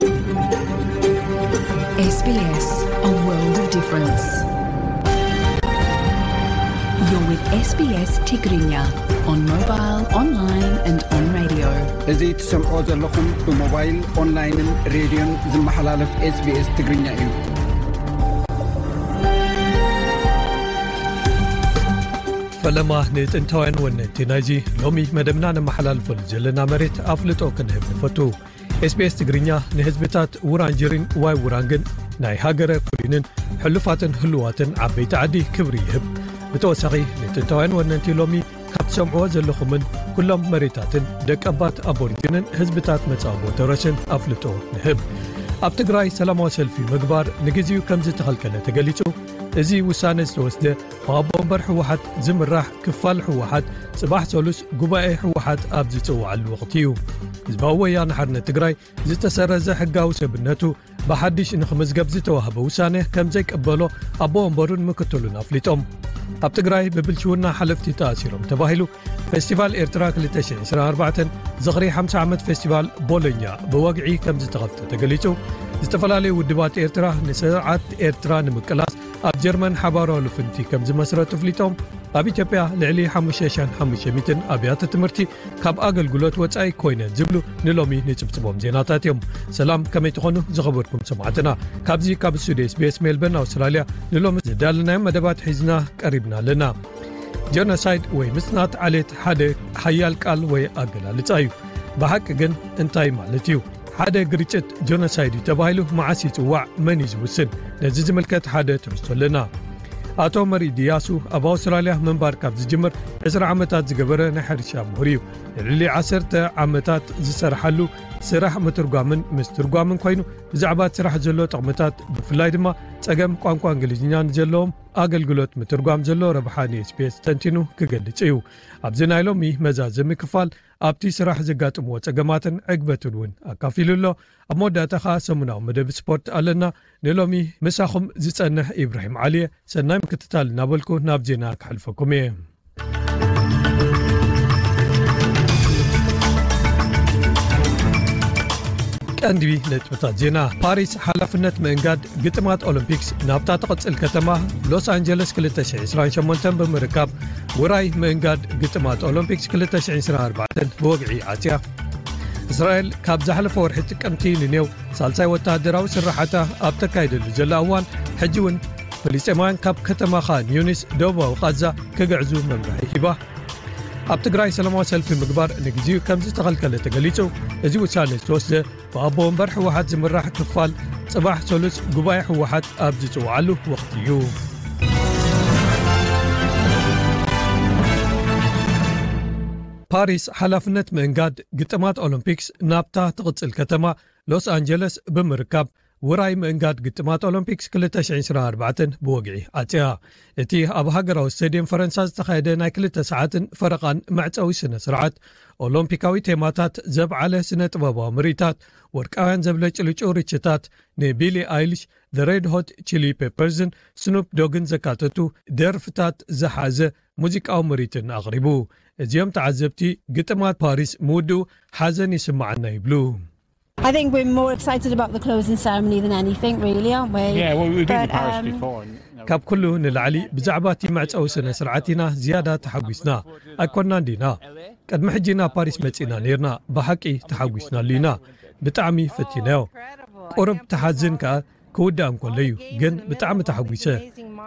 S B S, a world of difference. You're with S B S Tigrinya on mobile, online and on radio. እዚ ትሰምዖ ዘለኹም ብሞባይል፣ ኦንላይንን ሬድዮን ዝመሓላለፍ SBS ትግርኛ እዩ። ፈለማ ንጥንታውያን ወነንቲ ናይዚ ሎሚ መደብና ነመሓላልፈሉ ዘለና መሬት ኣፍልጦ ክንህብ ንፈቱ። SBS ትግርኛ ንህዝብታት ውራንጅሪን ዋይ ውራንግን ናይ ሃገረ ኩሊንን ሕሉፋትን ህልዋትን ዓበይቲ ዓዲ ክብሪ ይህብ። ብተወሳኺ ንጥንታውያን ወነንቲ ሎሚ ካብ ትሰምዕዎ ዘለኹምን ኩሎም መሬታትን ደቀባት ኣቦሪጅንን ህዝብታት መጻቦ ተረስን ኣፍልጦ ንህብ። ኣብ ትግራይ ሰላማዊ ሰልፊ ምግባር ንግዜኡ ከም ዝተኸልከለ ተገሊጹ። እዚ ውሳነ ዝተወስደ ብኣቦ ወንበር ህወሓት ዝምራሕ ክፋል ህወሓት ጽባሕ ሰሉስ ጉባኤ ህወሓት ኣብ ዝጽውዓሉ ወቕቲ እዩ። ህዝባዊ ወያነ ሓርነት ትግራይ ዝተሰረዘ ሕጋዊ ሰብነቱ ብሓድሽ ንኽምዝገብ ዝተዋህበ ውሳነ ከም ዘይቀበሎ ኣቦ ወንበሩን ምክትሉን ኣፍሊጦም። ኣብ ትግራይ ብብልሽውና ሓለፍቲ ተኣሲሮም ተባሂሉ ፌስቲቫል ኤርትራ ክልተ ሽሕን ዕስራን ኣርባዕተን ዝኽሪ ሓምሳ ዓመት ፌስቲቫል ቦሎኛ ብወግዒ ከም ዝተኸፍተ ተገሊጹ። ዝተፈላለዩ ውድባት ኤርትራ ንስርዓት ኤርትራ ንምቅላስ ኣብ ጀርመን ሓባራዊ ልፍንቲ ከም ዝመስረቱ ኣፍሊጦም። ኣብ ኢትዮጵያ ልዕሊ ሓሙሽተ ሽሕን ሓሙሽተ ሚእትን ኣብያተ ትምህርቲ ካብ ኣገልግሎት ወጻኢ ኮይነን ዝብሉ ንሎሚ ንጽብጽቦም ዜናታት እዮም። ሰላም፣ ከመይ ትኾኑ ዝኸበርኩም ሰማዕትና? ካብዚ ካብ ስቱዲዮ SBS ሜልበርን ኣውስትራልያ ንሎሚ ዝዳለናዮም መደባት ሒዝና ቀሪብና ኣለና። ጀኖሳይድ ወይ ምጽናት ዓሌት ሓደ ሓያል ቃል ወይ ኣገላልጻ እዩ። ብሓቂ ግን እንታይ ማለት እዩ? ሓደ ግርጭት ጀኖሳይድ እዩ ተባሂሉ መዓስ ይጽዋዕ? መን እዩ ዝውስን? ነዚ ዝምልከት ሓደ ትሕዝቶ ኣለና። ኣቶ መሪድ እያሱ ኣብ ኣውስትራልያ ምንባር ካብ ዝጅምር ዕስራ ዓመታት ዝገበረ ናይ ሕርሻ ምሁር እዩ። ንልዕሊ ዓሰርተ ዓመታት ዝሰርሓሉ ስራሕ ምትርጓምን ምስትርጓምን ኮይኑ፣ ብዛዕባ እቲ ስራሕ ዘሎ ጥቕምታት፣ ብፍላይ ድማ ጸገም ቋንቋ እንግሊዝኛ ንዘለዎም ኣገልግሎት ምትርጓም ዘሎ ረብሓ ን SBS ተንቲኑ ክገልጽ እዩ። ኣብዚ ናይ ሎሚ መዛዘሚ ክፋል ኣብቲ ስራሕ ዘጋጥምዎ ጸገማትን ዕግበትን እውን ኣካፊሉ ኣሎ። ኣብ መወዳእታ ኸኣ ሰሙናዊ መደብ ስፖርት ኣለና። ንሎሚ ምሳኹም ዝጸንሕ ኢብራሂም ዓሊየ። ሰናይ ምክትታል እናበልኩ ናብ ዜና ክሕልፈኩም እየ። ቀንዲ ነጥብታት ዜና። ፓሪስ ሓላፍነት ምእንጋድ ግጥማት ኦሎምፒክስ ናብታ ትቕጽል ከተማ ሎስ ኣንጀለስ ክልተ ሽሕን ዕስራን ሸሞንተን ብምርካብ፣ ውራይ ምእንጋድ ግጥማት ኦሎምፒክስ ክልተ ሽሕን ዕስራን ኣርባዕተን ብወግዒ ዓጽያ። እስራኤል ካብ ዝሓለፈ ወርሒ ጥቅምቲ ንኔው ሳልሳይ ወተሃደራዊ ስራሓታ ኣብ ተካይደሉ ዘላ እዋን፣ ሕጂ እውን ፍልስጤማውያን ካብ ከተማ ኻን ዩኒስ ደቡባዊ ቓዛ ክግዕዙ መምርሒ ሂባ። ኣብ ትግራይ ሰላማዊ ሰልፊ ምግባር ንግዚኡ ከም ዝተኸልከለ ተገሊጹ። እዚ ውሳነ ዝተወስደ ብኣቦ ወንበር ህወሓት ዝምራሕ ክፋል ጽባሕ ሰሉስ ጉባኤ ህወሓት ኣብ ዝጽውዓሉ ወቕቲ እዩ። ፓሪስ ሓላፍነት ምእንጋድ ግጥማት ኦሎምፒክስ ናብታ ትቕጽል ከተማ ሎስ ኣንጀለስ ብምርካብ፣ ውራይ ምእንጋድ ግጥማት ኦሎምፒክስ ክልተ ሽሕን ዕስራን ኣርባዕተን ብወግዒ ዓጽያ። እቲ ኣብ ሃገራዊ ስቴድየም ፈረንሳ ዝተኻየደ ናይ ክልተ ሰዓትን ፈረቓን መዕጸዊ ስነ ስርዓት፣ ኦሎምፒካዊ ቴማታት ዘብዓለ ስነ ጥበባዊ ምርኢታት፣ ወርቃውያን ዘብለጭልጩ ርችታት፣ ንቢሊ ኣይሊሽ፣ The Red Hot Chili Peppersን ስኑፕ ዶግን ዘካተቱ ደርፍታት ዝሓዘ ሙዚቃዊ ምርኢትን ኣቕሪቡ። እዚኦም ተዓዘብቲ፣ ግጥማት ፓሪስ ምውድኡ ሓዘን ይስምዓና ይብሉ። I think we're more excited about the closing ceremony than anything, really, aren't we? Yeah, well, we've been to But, Paris um, before, and, you know, ካብ ኩሉ ንላዕሊ ብዛዕባ እቲ መዕጸዊ ስነ ስርዓት ኢና ዝያዳ ተሓጒስና። ኣይኮናን ዲና? ቅድሚ ሕጂ ናብ ፓሪስ መጺና ነይርና፣ ብሓቂ ተሓጒስናሉ ኢና። ብጣዕሚ ፈቲናዮ። ቁሩብ ተሓዝን ከኣ ክውዳእ እንከሎ እዩ፣ ግን ብጣዕሚ ተሓጒሰ።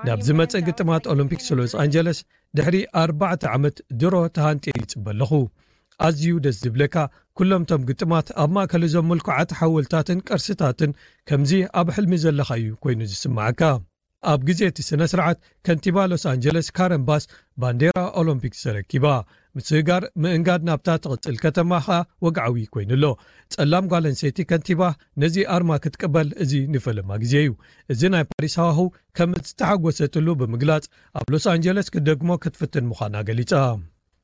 ናብ ዝመጸ ግጥማት ኦሎምፒክስ ሎስ ኣንጀለስ ድሕሪ ኣርባዕተ ዓመት ድሮ ተሃንጥየ ይጽበ ኣለኹ። ኣዝዩ ደስ ዝብለካ፣ ኩሎም እቶም ግጥማት ኣብ ማእከል እዞም ምልኩዓት ሓወልታትን ቅርስታትን ከምዚ ኣብ ሕልሚ ዘለኻዩ ኮይኑ ዝስምዓካ። ኣብ ግዜ እቲ ስነ ስርዓት፣ ከንቲባ ሎስ ኣንጀለስ ካረን ባስ ባንዴራ ኦሎምፒክስ ተረኪባ። ምስግጋር ምእንጋድ ናብታ ትቕጽል ከተማ ኸኣ ወግዓዊ ኮይኑ ኣሎ። ጸላም ጓል ኣንስተይቲ ከንቲባ ነዚ ኣርማ ክትቅበል እዚ ንፈለማ ግዜ እዩ። እዚ ናይ ፓሪስ ሃዋህው ከም ዝተሓጎሰትሉ ብምግላጽ፣ ኣብ ሎስ ኣንጀለስ ክትደግሞ ክትፍትን ምዃና ገሊጻ።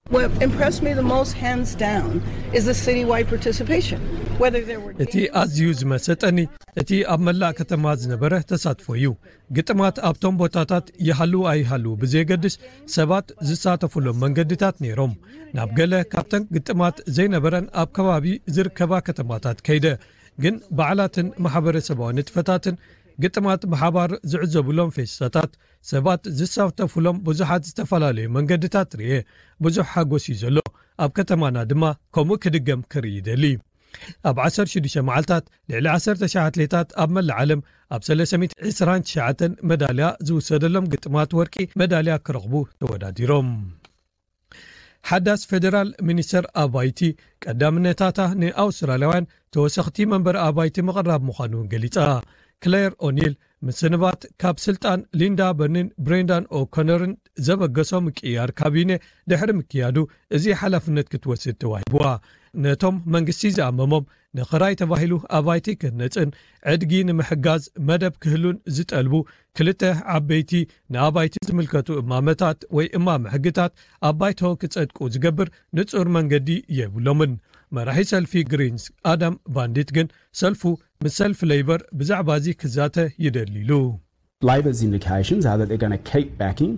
What impressed me the most, hands down, is the citywide participation. Whether there were እቲ ኣዝዩ ዝመሰጠኒ፣ እቲ ኣብ መላእ ከተማ ዝነበረ ተሳትፎ እዩ። ግጥማት ኣብቶም ቦታታት ይሃልዉ ኣይሃልዉ ብዘየገድስ፣ ሰባት ዝሳተፉሎም መንገድታት ነይሮም። ናብ ገለ ካብተን ግጥማት ዘይነበረን ኣብ ከባቢ ዝርከባ ከተማታት ከይደ፣ ግን በዓላትን ማሕበረሰባዊ ንጥፈታትን፣ ግጥማት ብሓባር ዝዕዘቡሎም ፌስታታት፣ ሰባት ዝሳተፉሎም ብዙሓት ዝተፈላለዩ መንገድታት ርኤ። ብዙሕ ሓጎስ እዩ ዘሎ። ኣብ ከተማና ድማ ከምኡ ክድገም ክርኢ ይደሊ። ኣብ ዓሰርተ ሽዱሽተ መዓልታት ልዕሊ ዓሰርተ ሽሕ ኣትሌታት ኣብ መላእ ዓለም ኣብ ሰለስተ ሚእትን ዕስራን ትሽዓተን መዳልያ ዝውሰደሎም ግጥማት ወርቂ መዳልያ ክረኽቡ ተወዳዲሮም። ሓዳስ ፌደራል ሚኒስተር ኣባይቲ ቀዳምነታታ ንኣውስትራልያውያን ተወሰኽቲ መንበሪ ኣባይቲ ምቕራብ ምዃኑ እውን ገሊጻ። ክሌር ኦኒል ምስንባት ካብ ስልጣን ሊንዳ በርኒን ብሬንዳን ኦኮነርን ዘበገሶ ምቅያር ካቢነ ድሕሪ ምክያዱ፣ እዚ ሓላፍነት ክትወስድ ተዋሂብዋ። ነቶም መንግስቲ ዝኣመሞም ንኽራይ ተባሂሉ ኣባይቲ ክህነጽን ዕድጊ ንምሕጋዝ መደብ ክህሉን ዝጠልቡ ክልተ ዓበይቲ ንኣባይቲ ዝምልከቱ እማመታት ወይ እማመ ሕግታት ኣብ ባይቶ ክጸድቁ ዝገብር ንጹር መንገዲ የብሎምን። መራሒ ሰልፊ ግሪንስ ኣዳም ባንዲት ግን ሰልፉ ምስ ሰልፊ ሌይበር ብዛዕባ እዚ ክዛተ ይደሊ ኢሉ። Labor's indications are that they're going to keep backing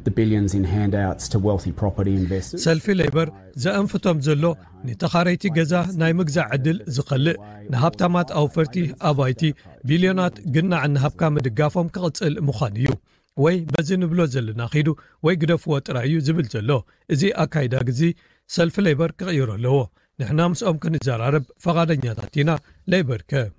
the billions in handouts to wealthy property investors. ሰልፊ ሌበር ዘእንፍቶም ዘሎ ንተኻረይቲ ገዛ ናይ ምግዛእ ዕድል ዝኸልእ ንሃብታማት ኣውፈርቲ ኣባይቲ ቢልዮናት ግናዕ እናሃብካ ምድጋፎም ክቕጽል ምዃኑ እዩ። ወይ በዚ ንብሎ ዘለና ኺዱ ወይ ግደፍዎ ጥራይ እዩ ዝብል ዘሎ። እዚ ኣካይዳ ግዚ ሰልፊ ሌበር ክቕይሮ ኣለዎ። ንሕና ምስኦም ክንዘራረብ ፈቓደኛታት ኢና፣ ሌበር ከ።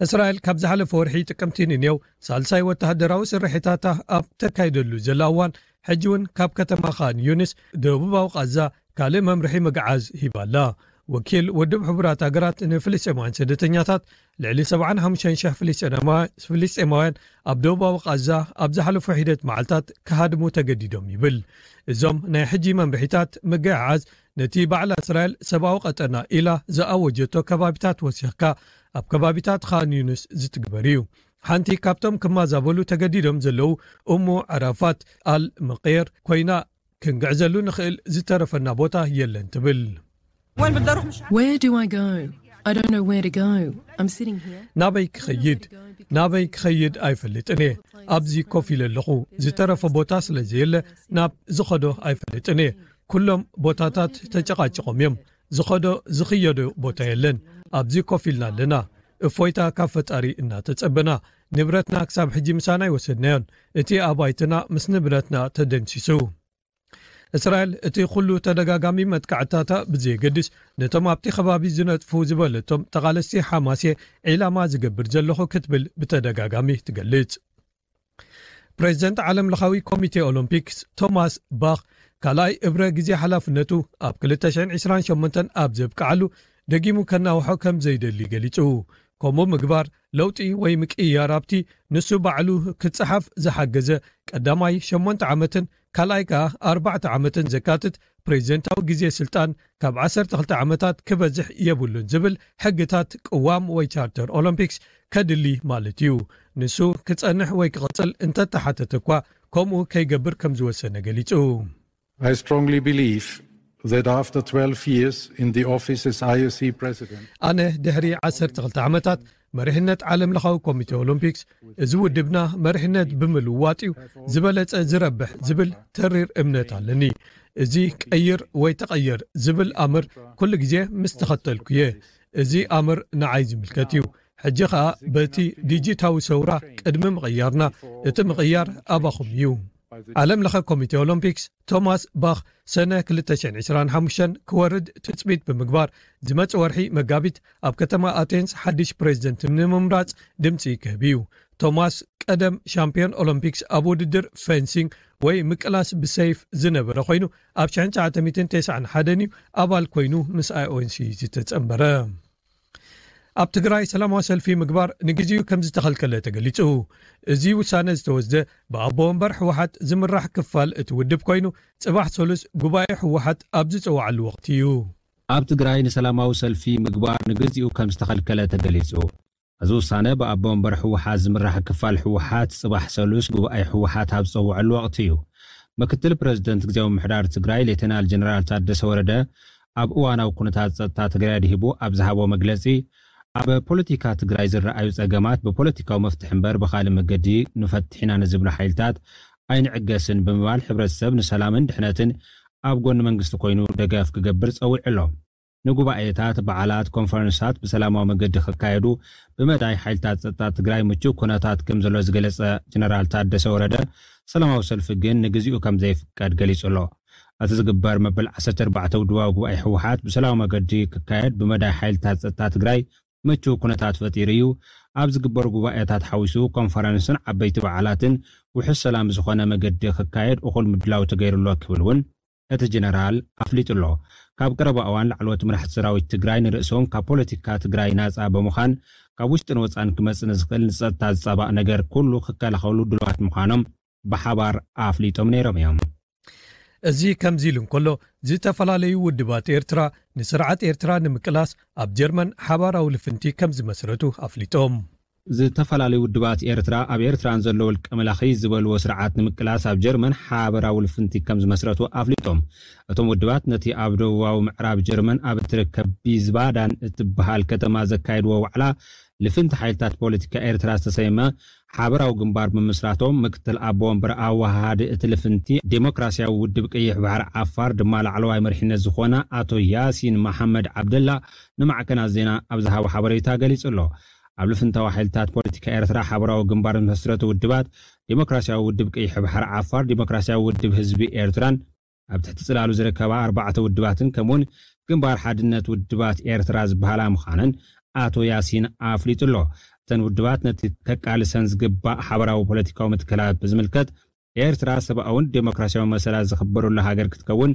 እስራኤል ካብ ዝሓለፈ ወርሒ ጥቅምቲ ንኔው ሳልሳይ ወተሃደራዊ ስርሒታታ ኣብ ተካይደሉ ዘላ እዋን፣ ሕጂ እውን ካብ ከተማ ኻን ዩኒስ ደቡባዊ ቃዛ ካልእ መምርሒ ምግዓዝ ሂባ ኣላ። ወኪል ውድብ ሕቡራት ሃገራት ንፍልስጤማውያን ስደተኛታት፣ ልዕሊ ሰብዓን ሓሙሽተን ሽሕ ፍልስጤማውያን ኣብ ደቡባዊ ቃዛ ኣብ ዝሓለፉ ሒደት መዓልታት ክሃድሙ ተገዲዶም ይብል። እዞም ናይ ሕጂ መምርሒታት ምግዕዓዝ ነቲ ባዕላ እስራኤል ሰብኣዊ ቀጠና ኢላ ዝኣወጀቶ ከባቢታት ወሲኽካ ኣብ ከባቢታት ኻን ዩኑስ ዝትግበር እዩ። ሓንቲ ካብቶም ክማዛበሉ ተገዲዶም ዘለዉ እሙ ዓራፋት ኣል መቄር ኮይና፣ ክንግዕዘሉ ንኽእል ዝተረፈና ቦታ የለን ትብል። Where do I go? I don't know where to go. I'm sitting here. ናበይ ክኸይድ ናበይ ክኸይድ ኣይፈልጥን እየ። ኣብዚ ኮፍ ኢለ ኣለኹ። ዝተረፈ ቦታ ስለ ዘየለ ናብ ዝኸዶ ኣይፈልጥን እየ። ኩሎም ቦታታት ተጨቓጭቖም እዮም። ዝኸዶ ዝኽየዶ ቦታ የለን። ኣብዚ ኮፍ ኢልና ኣለና። እፎይታ ካብ ፈጣሪ እናተጸበና፣ ንብረትና ክሳብ ሕጂ ምሳና ኣይወሰድናዮን። እቲ ኣባይትና ምስ ንብረትና ተደምሲሱ። እስራኤል እቲ ኩሉ ተደጋጋሚ መጥቃዕታታ ብዘየገድስ፣ ነቶም ኣብቲ ከባቢ ዝነጥፉ ዝበለቶም ተቓለስቲ ሓማስ እየ ዒላማ ዝገብር ዘለኹ ክትብል ብተደጋጋሚ ትገልጽ። ፕሬዚደንት ዓለም ለኻዊ ኮሚቴ ኦሎምፒክስ ቶማስ ባኽ ካልኣይ እብረ ግዜ ሓላፍነቱ ኣብ ክልተ ሽሕን ዕስራን ሸሞንተን ኣብ ዘብቅዓሉ ደጊሙ ከናውሖ ከም ዘይደሊ ገሊጹ። ከምኡ ምግባር ለውጢ ወይ ምቅይያር ኣብቲ ንሱ ባዕሉ ክጸሓፍ ዝሓገዘ ቀዳማይ ሸሞንተ ዓመትን ካልኣይ ከኣ ኣርባዕተ ዓመትን ዘካትት ፕሬዚደንታዊ ግዜ ስልጣን ካብ ዓሰርተ ክልተ ዓመታት ክበዝሕ የብሉን ዝብል ሕግታት ቅዋም ወይ ቻርተር ኦሎምፒክስ ከድሊ ማለት እዩ። ንሱ ክጸንሕ ወይ ክቕጽል እንተተሓተተ እኳ ከምኡ ከይገብር ከም ዝወሰነ ገሊጹ። I strongly believe that after twelve years in the office as I O C president, ኣነ ድሕሪ ዓሰርተ ክልተ ዓመታት መሪሕነት ዓለም ለኻዊ ኮሚቴ ኦሎምፒክስ፣ እዚ ውድብና መሪሕነት ብምልዋጥ እዩ ዝበለጸ ዝረብሕ ዝብል ተሪር እምነት ኣለኒ። እዚ ቀይር ወይ ተቐየር ዝብል ኣምር ኩሉ ግዜ ምስ ተኸተልኩ እየ። እዚ ኣምር ንዓይ ዝምልከት እዩ። ሕጂ ኸኣ በቲ ዲጂታዊ ሰውራ ቅድሚ ምቕያርና፣ እቲ ምቕያር ኣባኹም እዩ። ዓለም ለኸ ኮሚቴ ኦሎምፒክስ ቶማስ ባኽ ሰነ ክልተ ሽሕን ዕስራን ሓሙሽተን ክወርድ ትጽቢት ብምግባር፣ ዝመጽእ ወርሒ መጋቢት ኣብ ከተማ ኣቴንስ ሓድሽ ፕሬዚደንት ንምምራጽ ድምጺ ክህብ እዩ። ቶማስ ቀደም ሻምፒዮን ኦሎምፒክስ ኣብ ውድድር ፌንሲንግ ወይ ምቅላስ ብሰይፍ ዝነበረ ኮይኑ፣ ኣብ ሽሕን ትሽዓተ ሚእትን ተስዓን ሓደን እዩ ኣባል ኮይኑ ምስ ኣይ ኦ ኤን ሲ ዝተጸንበረ። ኣብ ትግራይ ሰላማዊ ሰልፊ ምግባር ንግዜኡ ከም ዝተኸልከለ ተገሊጹ። እዚ ውሳነ ዝተወስደ ብኣቦ ወንበር ህወሓት ዝምራሕ ክፋል እቲ ውድብ ኮይኑ፣ ጽባሕ ሰሉስ ጉባኤ ህወሓት ኣብ ዝጸዋዓሉ ወቕቲ እዩ። ኣብ ትግራይ ንሰላማዊ ሰልፊ ምግባር ንግዜኡ ከም ዝተኸልከለ ተገሊጹ። እዚ ውሳነ ብኣቦ ወንበር ህወሓት ዝምራሕ ክፋል ህወሓት ጽባሕ ሰሉስ ጉባኤ ህወሓት ኣብ ዝጸውዐሉ ወቕቲ እዩ። ምክትል ፕረዚደንት ግዜያዊ ምምሕዳር ትግራይ ሌተናል ጀነራል ታደሰ ወረደ ኣብ እዋናዊ ኩነታት ጸጥታ ትግራይ ኣድሂቡ ኣብ ዝሃቦ መግለጺ፣ ኣብ ፖለቲካ ትግራይ ዝረኣዩ ጸገማት ብፖለቲካዊ መፍትሒ እምበር ብኻልእ መገዲ ንፈትሕ ኢና ንዝብሉ ሓይልታት ኣይንዕገስን ብምባል፣ ሕብረተሰብ ንሰላምን ድሕነትን ኣብ ጎኒ መንግስቲ ኮይኑ ደገፍ ክገብር ጸዊዑ ኣሎ። ንጉባኤታት፣ በዓላት፣ ኮንፈረንሳት ብሰላማዊ መገዲ ክካየዱ ብመዳይ ሓይልታት ጸጥታ ትግራይ ምቹው ኩነታት ከም ዘሎ ዝገለጸ ጀነራል ታደሰ ወረደ፣ ሰላማዊ ሰልፊ ግን ንግዚኡ ከም ዘይፍቀድ ገሊጹ ኣሎ። እቲ ዝግበር መበል ዓሰርተ ኣርባዕተ ውድባዊ ጉባኤ ህወሓት ብሰላማዊ መገዲ ክካየድ ብመዳይ ሓይልታት ጸጥታ ትግራይ ምቹው ኩነታት ፈጢሩ እዩ። ኣብ ዝግበሩ ጉባኤታት ሓዊሱ ኮንፈረንስን ዓበይቲ በዓላትን ውሑስ ሰላም ዝኾነ መገዲ ክካየድ እኹል ምድላው ተገይሩ ኣሎ ክብል እውን እቲ ጀነራል ኣፍሊጡ ኣሎ። ካብ ቀረባ እዋን ላዕለዎት መራሕቲ ሰራዊት ትግራይ ንርእሶም ካብ ፖለቲካ ትግራይ ናጻ ብምዃን ካብ ውሽጥን ወጻን ክመጽእ ንዝኽእል ንጸጥታ ዝጻባእ ነገር ኩሉ ክከላኸሉ ድሉዋት ምዃኖም ብሓባር ኣፍሊጦም ነይሮም እዮም። እዚ ከምዚ ኢሉ እንከሎ፣ ዝተፈላለዩ ውድባት ኤርትራ ንስርዓት ኤርትራ ንምቅላስ ኣብ ጀርመን ሓባራዊ ልፍንቲ ከም ዝመስረቱ ኣፍሊጦም። ዝተፈላለዩ ውድባት ኤርትራ ኣብ ኤርትራን ዘሎ ውልቀ መላኺ ዝበልዎ ስርዓት ንምቅላስ ኣብ ጀርመን ሓበራዊ ልፍንቲ ከም ዝመስረቱ ኣፍሊጦም። እቶም ውድባት ነቲ ኣብ ደቡባዊ ምዕራብ ጀርመን ኣብ እትርከብ ቢዝባዳን እትበሃል ከተማ ዘካየድዎ ዋዕላ ልፍንቲ ሓይልታት ፖለቲካ ኤርትራ ዝተሰየመ ሓበራዊ ግንባር ብምስራቶም ምክትል ኣቦ ወንበር ኣወሃሃዲ እቲ ልፍንቲ ዴሞክራሲያዊ ውድብ ቀይሕ ባሕሪ ዓፋር ድማ ላዕለዋይ መሪሕነት ዝኾነ ኣቶ ያሲን መሓመድ ዓብደላ ንማዕከናት ዜና ኣብ ዝሃቦ ሓበሬታ ገሊጹ ኣሎ። ኣብ ልፍንታዊ ሓይልታት ፖለቲካ ኤርትራ ሓበራዊ ግንባር ዝመስረቱ ውድባት ዴሞክራሲያዊ ውድብ ቀይሕ ባሕሪ ዓፋር፣ ዴሞክራሲያዊ ውድብ ህዝቢ ኤርትራን ኣብ ትሕቲ ጽላሉ ዝርከባ ኣርባዕተ ውድባትን ከምኡውን ግንባር ሓድነት ውድባት ኤርትራ ዝበሃላ ምዃነን ኣቶ ያሲን ኣፍሊጡ ኣሎ። እተን ውድባት ነቲ ከቃልሰን ዝግባእ ሓበራዊ ፖለቲካዊ መትከላት ብዝምልከት ኤርትራ ሰብኣውን ዴሞክራሲያዊ መሰላት ዝኽበሩላ ሃገር ክትከውን፣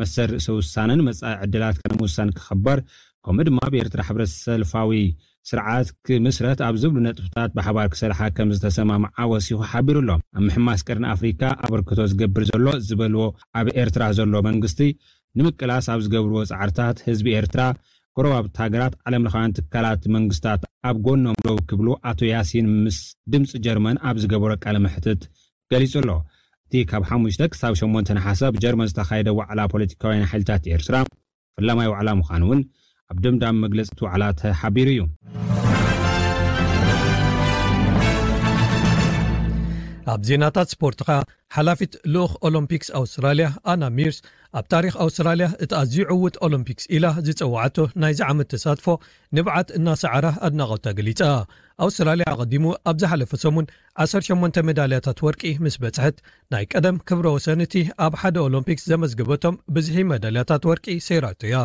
መሰል ርእሰ ውሳነን መጻኢ ዕድላት ከነምውሳን ክኽበር፣ ከምኡ ድማ ኣብ ኤርትራ ሕብረት ሰልፋዊ ስርዓት ክምስረት ኣብ ዝብሉ ነጥብታት ብሓባር ክሰርሓ ከም ዝተሰማምዓ ወሲኹ ሓቢሩ ኣሎ። ኣብ ምሕማስ ቀርኒ ኣፍሪካ ኣበርክቶ ዝገብር ዘሎ ዝበልዎ ኣብ ኤርትራ ዘሎ መንግስቲ ንምቅላስ ኣብ ዝገብርዎ ጻዕርታት ህዝቢ ኤርትራ፣ ጎረባብቲ ሃገራት፣ ዓለም ለኻውያን ትካላት መንግስታት ኣብ ጎኖም ደው ክብሉ ኣቶ ያሲን ምስ ድምፂ ጀርመን ኣብ ዝገበሮ ቃለ መሕትት ገሊጹ ኣሎ። እቲ ካብ ሓሙሽተ ክሳብ ሸሞንተ ነሓሰ ኣብ ጀርመን ዝተኻየደ ዋዕላ ፖለቲካውያን ሓይልታት ኤርትራ ፈላማይ ዋዕላ ምዃኑ እውን ኣብ ደምዳሚ መግለጺ እቲ ዋዕላ ተሓቢሩ እዩ። ኣብ ዜናታት ስፖርት ኸኣ፣ ሓላፊት ልኡኽ ኦሎምፒክስ ኣውስትራልያ ኣና ሚርስ ኣብ ታሪኽ ኣውስትራልያ እቲ ኣዝዩ ዕዉት ኦሎምፒክስ ኢላ ዝጸውዓቶ ናይዚ ዓመት ተሳትፎ ንብዓት እናሰዓራ ኣድናቖታ ገሊጻ። ኣውስትራልያ ኣቐዲሙ ኣብ ዝሓለፈ ሰሙን ዓሰርተ ሸሞንተ ሜዳልያታት ወርቂ ምስ በጽሐት፣ ናይ ቀደም ክብረ ወሰን እቲ ኣብ ሓደ ኦሎምፒክስ ዘመዝገበቶም ብዝሒ ሜዳልያታት ወርቂ ሰይራቶ እያ።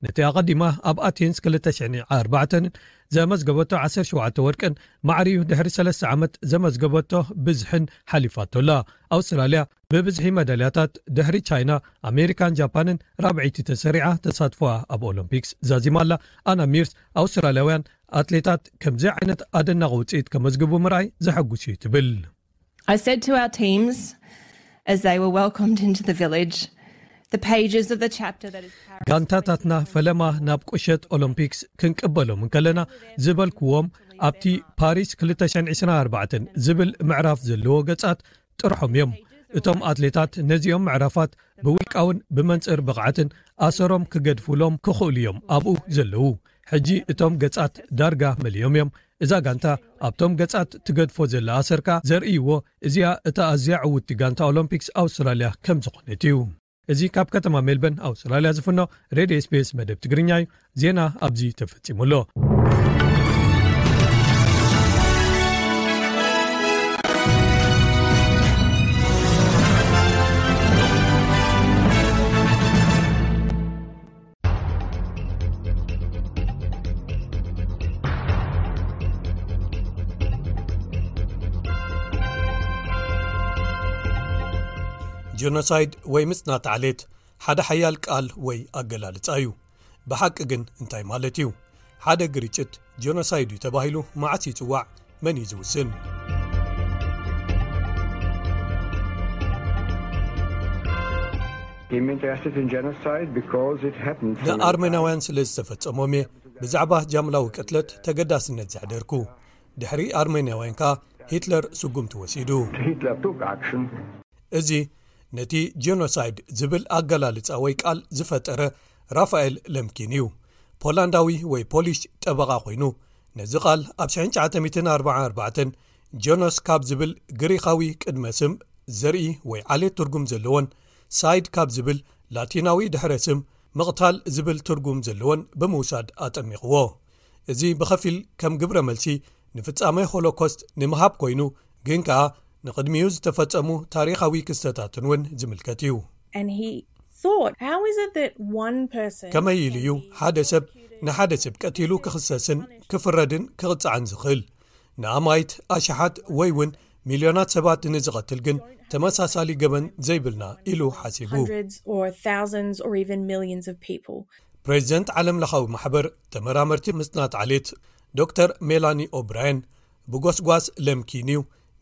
ነቲ ኣቐዲማ ኣብ ኣቴንስ ክልተ ሽሕን ኣርባዕተን ዘመዝገበቶ ዓሰርተ ሸውዓተ ወርቅን ማዕሪኡ ድሕሪ ሰለስተ ዓመት ዘመዝገበቶ ብዝሕን ሓሊፋቶ ኣላ። ኣውስትራልያ ብብዝሒ ሜዳልያታት ድሕሪ ቻይና፣ ኣሜሪካን ጃፓንን ራብዐይቲ ተሰሪዓ ተሳትፎኣ ኣብ ኦሎምፒክስ ዛዚማ ኣላ። ኣና ሚርስ ኣውስትራልያውያን ኣትሌታት ከምዚ ዓይነት ኣደናቒ ውፅኢት ከመዝግቡ ምርኣይ ዘሐጉስ እዩ ትብል። I said to our teams as they were welcomed into the village, the pages of the chapter that is Paris. ጋንታታትና ፈለማ ናብ ቁሸት ኦሎምፒክስ ክንቅበሎም እንከለና ዝበልክዎም፣ ኣብቲ ፓሪስ ክልተ ሽሕን ዕስራን ኣርባዕተን ዝብል ምዕራፍ ዘለዎ ገጻት ጥርሖም እዮም። እቶም ኣትሌታት ነዚኦም ምዕራፋት ብውልቃውን ብመንጽር ብቕዓትን ኣሰሮም ክገድፉሎም ክኽእሉ እዮም ኣብኡ ዘለዉ። ሕጂ እቶም ገጻት ዳርጋ መሊኦም እዮም። እዛ ጋንታ ኣብቶም ገጻት ትገድፎ ዘላ ኣሰር ከኣ ዘርእይዎ፣ እዚኣ እታ ኣዝያ ዕውትቲ ጋንታ ኦሎምፒክስ ኣውስትራልያ ከም ዝኾነት እዩ። እዚ ካብ ከተማ ሜልበርን ኣውስትራልያ ዝፍኖ ሬድዮ ኤስቢኤስ መደብ ትግርኛ እዩ። ዜና ኣብዚ ተፈጺሙ ኣሎ። ጀኖሳይድ ወይ ምጽናት ዓሌት ሓደ ሓያል ቃል ወይ ኣገላልጻ እዩ። ብሓቂ ግን እንታይ ማለት እዩ? ሓደ ግርጭት ጀኖሳይድ እዩ ተባሂሉ መዓስ ይጽዋዕ? መን እዩ ዝውስን? He meant to ask it in genocide because it happened. ንኣርሜናውያን ስለ ዝተፈጸሞም እየ ብዛዕባ ጃምላዊ ቅትለት ተገዳስነት ዘሕደርኩ። ድሕሪ ኣርሜናውያን ከኣ ሂትለር ስጉምቲ ወሲዱ። Hitler took action. እዚ ነቲ ጀኖሳይድ ዝብል ኣገላልጻ ወይ ቃል ዝፈጠረ ራፋኤል ለምኪን እዩ። ፖላንዳዊ ወይ ፖሊሽ ጠበቓ ኮይኑ፣ ነዚ ቃል ኣብ ሽሕን ትሽዓተ ሚእትን ኣርባዓን ኣርባዕተን ጀኖስ ካብ ዝብል ግሪኻዊ ቅድመ ስም ዘርኢ ወይ ዓሌት ትርጉም ዘለዎን ሳይድ ካብ ዝብል ላቲናዊ ድሕረ ስም ምቕታል ዝብል ትርጉም ዘለዎን ብምውሳድ ኣጠሚቕዎ። እዚ ብኸፊል ከም ግብረ መልሲ ንፍጻሜ ሆሎኮስት ንምሃብ ኮይኑ፣ ግን ከኣ ንቕድሚኡ ዝተፈጸሙ ታሪኻዊ ክስተታትን እውን ዝምልከት እዩ። And he thought, how is it that one person ከመይ ኢሉ እዩ ሓደ ሰብ ንሓደ ሰብ ቀቲሉ ክኽሰስን ክፍረድን ክቕጻዕን ዝኽእል? ንኣማይት ኣሽሓት ወይ እውን ሚልዮናት ሰባት ንዝቐትል ግን ተመሳሳሊ ገበን ዘይብልና ኢሉ ሓሲቡ። Hundreds or thousands or even millions of people. ፕሬዚደንት ዓለም ለኻዊ ማሕበር ተመራመርቲ ምጽናት ዓሌት ዶክተር ሜላኒ ኦብራየን ብጎስጓስ ለምኪን እዩ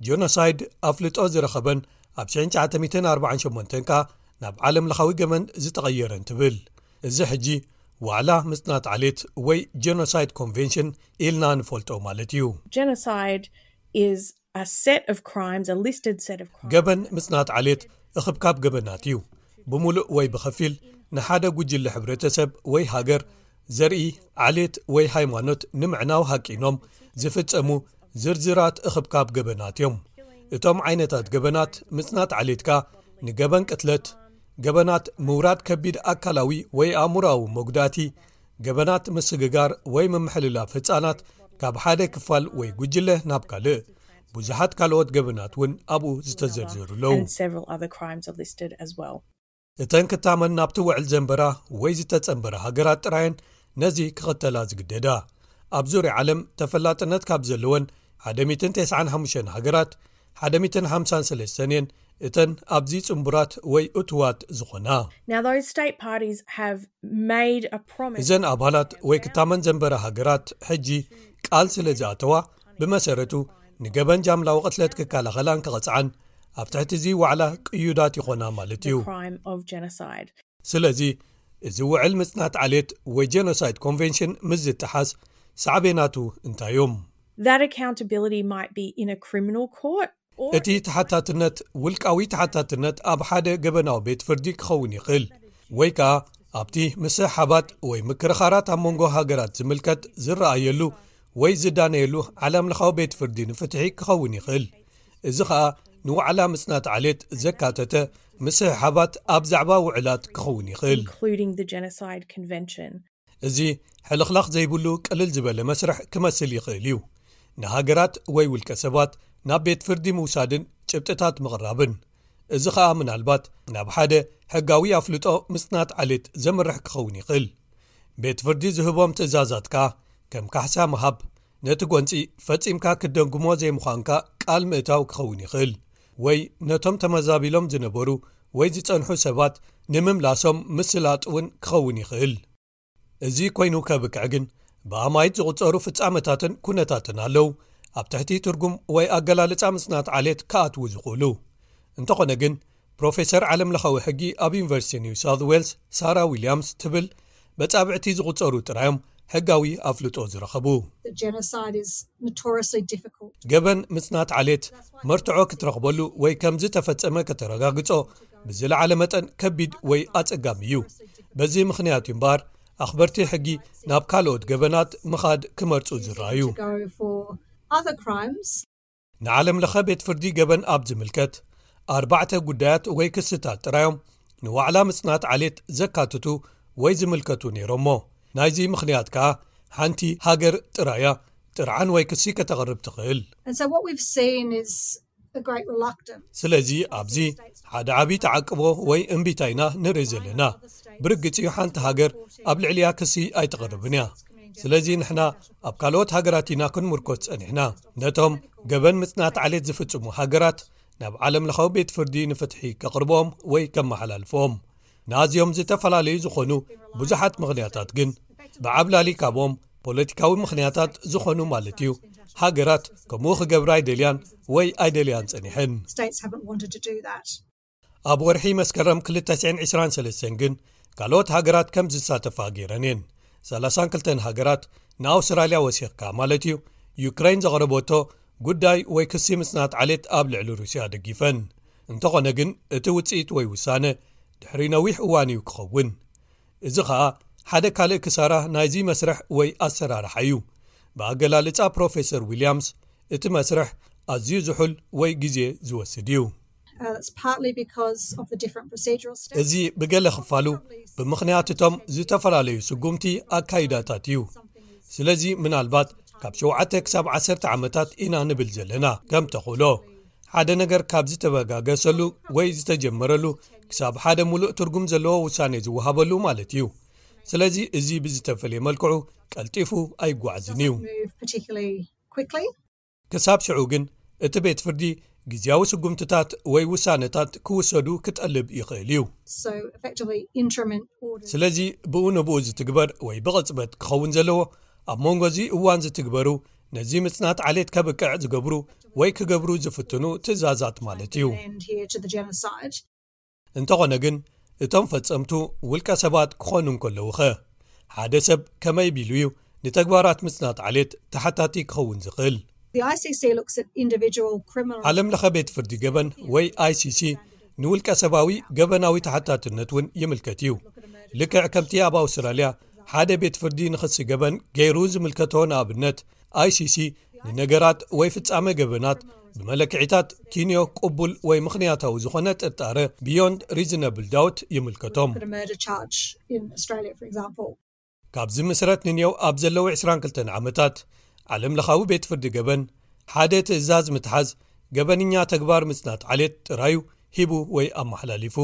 ጀኖሳይድ ኣፍልጦ ዝረኸበን ኣብ ሽሕን ትሽዓተ ሚእትን ኣርባዓን ሸሞንተን ከኣ ናብ ዓለም ለኻዊ ገበን ዝተቐየረን ትብል። እዚ ሕጂ ዋዕላ ምጽናት ዓሌት ወይ ጀኖሳይድ ኮንቬንሽን ኢልና ንፈልጦ ማለት እዩ። Genocide is a set of crimes, a listed set of crimes. ገበን ምጽናት ዓሌት እኽብካብ ገበናት እዩ። ብምሉእ ወይ ብኸፊል ንሓደ ጉጅለ ሕብረተሰብ ወይ ሃገር፣ ዘርኢ፣ ዓሌት ወይ ሃይማኖት ንምዕናው ሃቂኖም ዝፍጸሙ ዝርዝራት እኽብካብ ገበናት እዮም። እቶም ዓይነታት ገበናት ምጽናት ዓሌትካ ንገበን ቅትለት፣ ገበናት ምውራድ ከቢድ ኣካላዊ ወይ ኣእምሮኣዊ መጉዳእቲ፣ ገበናት ምስግጋር ወይ ምምሕልላፍ ህጻናት ካብ ሓደ ክፋል ወይ ጉጅለ ናብ ካልእ፣ ብዙሓት ካልኦት ገበናት እውን ኣብኡ ዝተዘርዘሩ ኣለዉ። And several other crimes are listed as well. እተን ክታመን ናብቲ ውዕል ዘንበራ ወይ ዝተጸንበራ ሃገራት ጥራየን ነዚ ክኽተላ ዝግደዳ። ኣብ ዙርያ ዓለም ተፈላጥነት ካብ ዘለወን ሓደ ሚእትን ተስዓን ሓሙሽተን ሃገራት ሓደ ሚእትን ሓምሳን ሰለስተን እየን እተን ኣብዚ ጽንቡራት ወይ እቱዋት ዝኾና። Now, those state parties have made a promise. እዘን ኣባላት ወይ ክታመን ዘንበራ ሃገራት ሕጂ ቃል ስለ ዝኣተዋ፣ ብመሰረቱ ንገበን ጃምላዊ ቅትለት ክከላኸላን ክቐጽዓን ኣብ ትሕቲ እዚ ዋዕላ ቅዩዳት ይኾና ማለት እዩ። Crime of genocide. ስለዚ እዚ ውዕል ምጽናት ዓሌት ወይ ጀኖሳይድ ኮንቬንሽን ምስ ዝጠሓስ ሳዕቤናቱ እንታይ እዮም? That accountability might be in a criminal court or እቲ ተሓታትነት ውልቃዊ ተሓታትነት ኣብ ሓደ ገበናዊ ቤት ፍርዲ ክኸውን ይኽእል፣ ወይ ከኣ ኣብቲ ምስሕሓባት ወይ ምክርኻራት ኣብ መንጎ ሃገራት ዝምልከት ዝረኣየሉ ወይ ዝዳነየሉ ዓለም ለኻዊ ቤት ፍርዲ ንፍትሒ ክኸውን ይኽእል። እዚ ኸኣ ንዋዕላ ምጽናት ዓሌት ዘካተተ ምስሕሓባት ኣብ ዛዕባ ውዕላት ክኸውን ይኽእል። Including the Genocide Convention. እዚ ሕልኽላኽ ዘይብሉ ቅልል ዝበለ መስርሕ ክመስል ይኽእል እዩ። ንሃገራት ወይ ውልቀ ሰባት ናብ ቤት ፍርዲ ምውሳድን ጭብጥታት ምቕራብን። እዚ ኸኣ ምናልባት ናብ ሓደ ሕጋዊ ኣፍልጦ ምጽናት ዓሌት ዘምርሕ ክኸውን ይኽእል። ቤት ፍርዲ ዝህቦም ትእዛዛት ከኣ ከም ካሕሳ ምሃብ፣ ነቲ ጎንጺ ፈጺምካ ክትደግሞ ዘይምዃንካ ቃል ምእታው ክኸውን ይኽእል፣ ወይ ነቶም ተመዛቢሎም ዝነበሩ ወይ ዝጸንሑ ሰባት ንምምላሶም ምስላጥ እውን ክኸውን ይኽእል። እዚ ኮይኑ ከብቅዕ ግን ብኣማይት ዝቑጸሩ ፍጻመታትን ኩነታትን ኣለዉ ኣብ ትሕቲ ትርጉም ወይ ኣገላልጻ ምጽናት ዓሌት ክኣትዉ ዝኽእሉ። እንተኾነ ግን ፕሮፌሰር ዓለም ለኻዊ ሕጊ ኣብ ዩኒቨርሲቲ ኒው ሳውት ዌልስ ሳራ ዊልያምስ ትብል በጻብዕቲ ዝቑጸሩ ጥራዮም ሕጋዊ ኣፍልጦ ዝረኸቡ። The genocide is notoriously difficult. ገበን ምጽናት ዓሌት መርትዖ ክትረኽበሉ ወይ ከም ዝተፈጸመ ከተረጋግጾ ብዝለዓለ መጠን ከቢድ ወይ ኣጸጋሚ እዩ። በዚ ምኽንያት እዩ እምበኣር ኣኽበርቲ ሕጊ ናብ ካልኦት ገበናት ምኻድ ክመርጹ ዝረኣዩ። To go for other crimes. ንዓለም ለኸ ቤት ፍርዲ ገበን ኣብ ዝምልከት ኣርባዕተ ጉዳያት ወይ ክስታት ጥራዮም ንዋዕላ ምጽናት ዓሌት ዘካትቱ ወይ ዝምልከቱ ነይሮሞ። ናይዚ ምኽንያት ከኣ ሓንቲ ሃገር ጥራያ ጥርዓን ወይ ክሲ ከተቕርብ ትኽእል። And so what we've seen is a great reluctance. ስለዚ ኣብዚ ሓደ ዓብዪ ተዓቅቦ ወይ እምቢታ ኢና ንርኢ ዘለና። ብርግጽ እዩ ሓንቲ ሃገር ኣብ ልዕሊያ ክሲ ኣይተቕርብን እያ። ስለዚ ንሕና ኣብ ካልኦት ሃገራት ኢና ክንምርኮስ ጸኒሕና። ነቶም ገበን ምጽናት ዓሌት ዝፍጽሙ ሃገራት ናብ ዓለም ለኻዊ ቤት ፍርዲ ንፍትሒ ከቕርቦም ወይ ከመሓላልፎም ንኣዝዮም ዝተፈላለዩ ዝኾኑ ብዙሓት ምኽንያታት ግን ብዓብላሊ ካብኦም ፖለቲካዊ ምኽንያታት ዝኾኑ ማለት እዩ ሃገራት ከምኡ ክገብራ ኣይደልያን ወይ ኣይደልያን ጸኒሐን። States haven't wanted to do that. ኣብ ወርሒ መስከረም ክልተ ሽሕን ዕስራን ሰለስተን ግን ካልኦት ሃገራት ከም ዝሳተፋ ገይረን እየን። ሰላሳን ክልተን ሃገራት ንኣውስትራልያ ወሲኽካ ማለት እዩ ዩክሬን ዘቕረበቶ ጉዳይ ወይ ክሲ ምጽናት ዓሌት ኣብ ልዕሊ ሩስያ ደጊፈን። እንተኾነ ግን እቲ ውጽኢት ወይ ውሳነ ድሕሪ ነዊሕ እዋን እዩ ክኸውን። እዚ ኸኣ ሓደ ካልእ ክሳራ ናይዚ መስርሕ ወይ ኣሰራርሓ እዩ። ብኣገላልጻ ፕሮፌሰር ዊልያምስ እቲ መስርሕ ኣዝዩ ዝሑል ወይ ግዜ ዝወስድ እዩ። Uh, that's partly because of the different procedural steps. እዚ ብገለ ክፋሉ ብምኽንያት እቶም ዝተፈላለዩ ስጉምቲ ኣካይዳታት እዩ። ስለዚ ምናልባት ካብ ሸውዓተ ክሳብ ዓሰርተ ዓመታት ኢና ንብል ዘለና። ከም ተኽእሎ ሓደ ነገር ካብ ዝተበጋገሰሉ ወይ ዝተጀመረሉ ክሳብ ሓደ ሙሉእ ትርጉም ዘለዎ ውሳኔ ዝወሃበሉ ማለት እዩ። ስለዚ እዚ ብዝተፈለየ መልክዑ ቀልጢፉ ኣይጓዓዝን እዩ። Move particularly quickly. ክሳብ ሽዑ ግን እቲ ቤት ፍርዲ ግዜያዊ ስጉምትታት ወይ ውሳነታት ክውሰዱ ክጠልብ ይኽእል እዩ። So effectively interim orders. ስለዚ ብኡ ንብኡ ዝትግበር ወይ ብቕጽበት ክኸውን ዘለዎ ኣብ መንጎ እዚ እዋን ዝትግበሩ ነዚ ምጽናት ዓሌት ከብቅዕ ዝገብሩ ወይ ክገብሩ ዝፍትኑ ትእዛዛት ማለት እዩ። End here to the genocide. እንተኾነ ግን እቶም ፈጸምቱ ውልቀ ሰባት ክኾኑ እንከለዉኸ ሓደ ሰብ ከመይ ቢሉ እዩ ንተግባራት ምጽናት ዓሌት ተሓታቲ ክኸውን ዝኽእል? The I C C looks at individual criminal. ዓለም ለኸ ቤት ፍርዲ ገበን ወይ I C C ንውልቀ ሰባዊ ገበናዊ ተሓታትነት እውን ይምልከት እዩ። ልክዕ ከምቲ ኣብ ኣውስትራልያ ሓደ ቤት ፍርዲ ንኽሲ ገበን ገይሩ ዝምልከቶ ንኣብነት I C C ንነገራት ወይ ፍጻመ ገበናት ብመለክዒታት ኪንዮ ቅቡል ወይ ምኽንያታዊ ዝኾነ ጥርጣረ beyond reasonable doubt ይምልከቶም። Put a murder charge in Australia, for example. ካብ ዝምስረት ንኔው ኣብ ዘለዉ ዕስራን ክልተን ዓመታት ዓለም ለኻዊ ቤት ፍርዲ ገበን ሓደ ትእዛዝ ምትሓዝ ገበንኛ ተግባር ምጽናት ዓሌት ጥራዩ ሂቡ ወይ ኣመሓላሊፉ።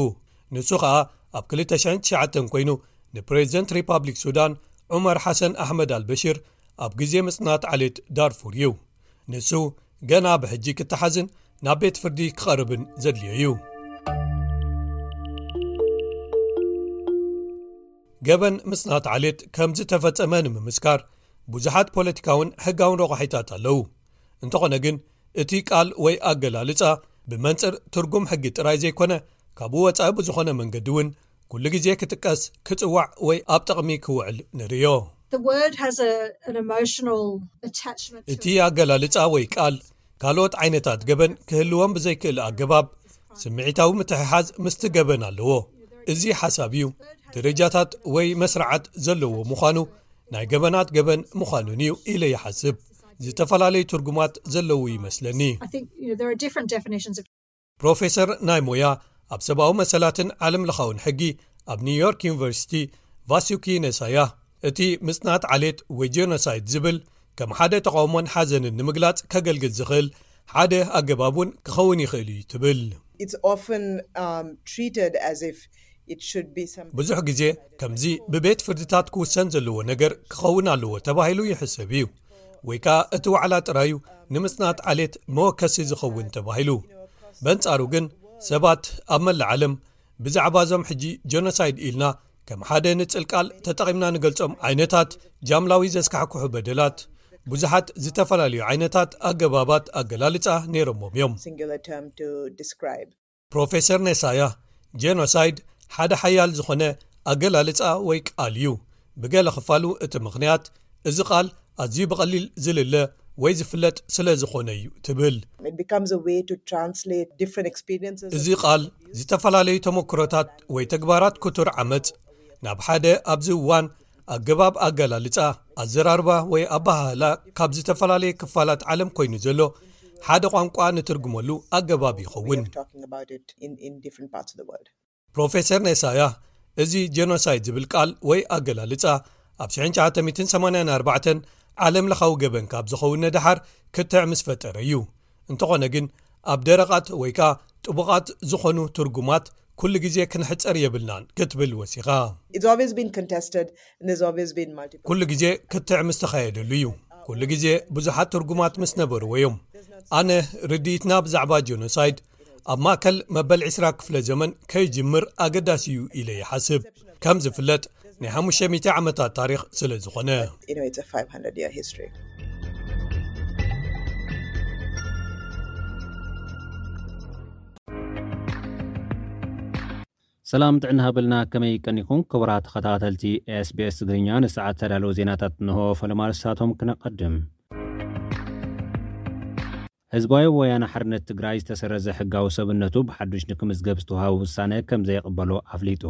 ንሱ ኸኣ ኣብ ክልተ ሽሕን ትሽዓተን ኮይኑ ንፕሬዚደንት ሪፓብሊክ ሱዳን ዑመር ሓሰን ኣሕመድ ኣልበሽር ኣብ ግዜ ምጽናት ዓሌት ዳርፉር እዩ። ንሱ ገና ብሕጂ ክተሓዝን ናብ ቤት ፍርዲ ክቐርብን ዘድልዮ እዩ። ገበን ምጽናት ዓሌት ከም ዝተፈጸመ ንምምስካር ብዙሓት ፖለቲካውን ሕጋውን ረቋሒታት ኣለዉ። እንተኾነ ግን እቲ ቃል ወይ ኣገላልጻ ብመንጽር ትርጉም ሕጊ ጥራይ ዘይኮነ ካብኡ ወጻኢ ብዝኾነ መንገዲ እውን ኩሉ ግዜ ክጥቀስ ክጽዋዕ ወይ ኣብ ጥቕሚ ክውዕል ንርእዮ። The word has a, an emotional attachment to እቲ ኣገላልጻ ወይ ቃል ካልኦት ዓይነታት ገበን ክህልዎም ብዘይክእል ኣገባብ ስምዒታዊ ምትሕሓዝ ምስቲ ገበን ኣለዎ። እዚ ሓሳብ እዩ ደረጃታት ወይ መስርዓት ዘለዎ ምዃኑ ናይ ገበናት ገበን ምዃኑን እዩ ኢለ ይሓስብ። ዝተፈላለዩ ትርጉማት ዘለዉ ይመስለኒ። I think you know, there are different definitions of ፕሮፌሰር ናይ ሞያ ኣብ ሰብኣዊ መሰላትን ዓለም ለኻውን ሕጊ ኣብ ኒውዮርክ ዩኒቨርሲቲ ቫሱኪ ነሳያ እቲ ምጽናት ዓሌት ወይ ጄኖሳይድ ዝብል ከም ሓደ ተቓውሞን ሓዘንን ንምግላጽ ከገልግል ዝኽእል ሓደ ኣገባብ እውን ክኸውን ይኽእል እዩ ትብል። It's often um, treated as if it should be some ብዙሕ ግዜ ከምዚ ብቤት ፍርድታት ክውሰን ዘለዎ ነገር ክኸውን ኣለዎ ተባሂሉ ይሕሰብ እዩ፣ ወይ ከኣ እቲ ዋዕላ ጥራዩ ንምጽናት ዓሌት መወከሲ ዝኸውን ተባሂሉ። በንጻሩ ግን ሰባት ኣብ መላእ ዓለም ብዛዕባ እዞም ሕጂ ጀኖሳይድ ኢልና ከም ሓደ ንጽል ቃል ተጠቒምና ንገልጾም ዓይነታት ጃምላዊ ዘስካሕክሑ በደላት ብዙሓት ዝተፈላለዩ ዓይነታት ኣገባባት ኣገላልጻ ነይሮሞም እዮም። Singular term to describe. ፕሮፌሰር ኔሳያ ጄኖሳይድ ሓደ ሓያል ዝኾነ ኣገላልጻ ወይ ቃል እዩ። ብገለ ክፋሉ እቲ ምኽንያት እዚ ቃል ኣዝዩ ብቐሊል ዝልለ ወይ ዝፍለጥ ስለ ዝኾነ እዩ ትብል። It becomes a way to translate different experiences. እዚ ቃል ዝተፈላለዩ ተመክሮታት ወይ ተግባራት ክቱር ዓመጽ ናብ ሓደ ኣብዚ እዋን ኣገባብ ኣገላልጻ ኣዘራርባ ወይ ኣባሃህላ ካብ ዝተፈላለየ ክፋላት ዓለም ኮይኑ ዘሎ ሓደ ቋንቋ ንትርጉመሉ ኣገባብ ይኸውን። Talking about it in, in different parts of the world. ፕሮፌሰር ኔሳያ እዚ ጄኖሳይድ ዝብል ቃል ወይ ኣገላልጻ ኣብ ሽሕን ትሽዓተ ሚእትን ሰማንያን ኣርባዕተን ዓለም ለኻዊ ገበን ካብ ዝኸውን ንደሓር ክትዕ ምስ ፈጠረ እዩ። እንተኾነ ግን ኣብ ደረቓት ወይ ከኣ ጥቡቓት ዝኾኑ ትርጉማት ኩሉ ግዜ ክንሕጸር የብልናን ክትብል ወሲኻ። It's always been contested, and there's always been multiple. ኩሉ ግዜ ክትዕ ምስ ተኻየደሉ እዩ። ኩሉ ግዜ ብዙሓት ትርጉማት ምስ ነበርዎ እዮም። ኣነ ርድኢትና ብዛዕባ ጀኖሳይድ ኣብ ማእከል መበል ዕስራ ክፍለ ዘመን ከይጅምር ኣገዳሲ እዩ ኢለ ይሓስብ። ከም ዝፍለጥ ናይ ሓሙሽተ ሚእቲ ዓመታት ታሪኽ ስለ ዝኾነ። You know, it's a five hundred year history. ሰላም ጥዕና ሃበልና፣ ከመይ ቀኒኹም ክቡራት ተኸታተልቲ ኤስቢኤስ ትግርኛ? ንሰዓት ተዳለዉ ዜናታት እንሆ። ፈለማ ርሳቶም ክነቐድም። ህዝባዊ ወያነ ሓርነት ትግራይ ዝተሰረዘ ሕጋዊ ሰብነቱ ብሓዱሽ ንክምዝገብ ዝተዋሃበ ውሳነ ከም ዘይቕበሎ ኣፍሊጡ።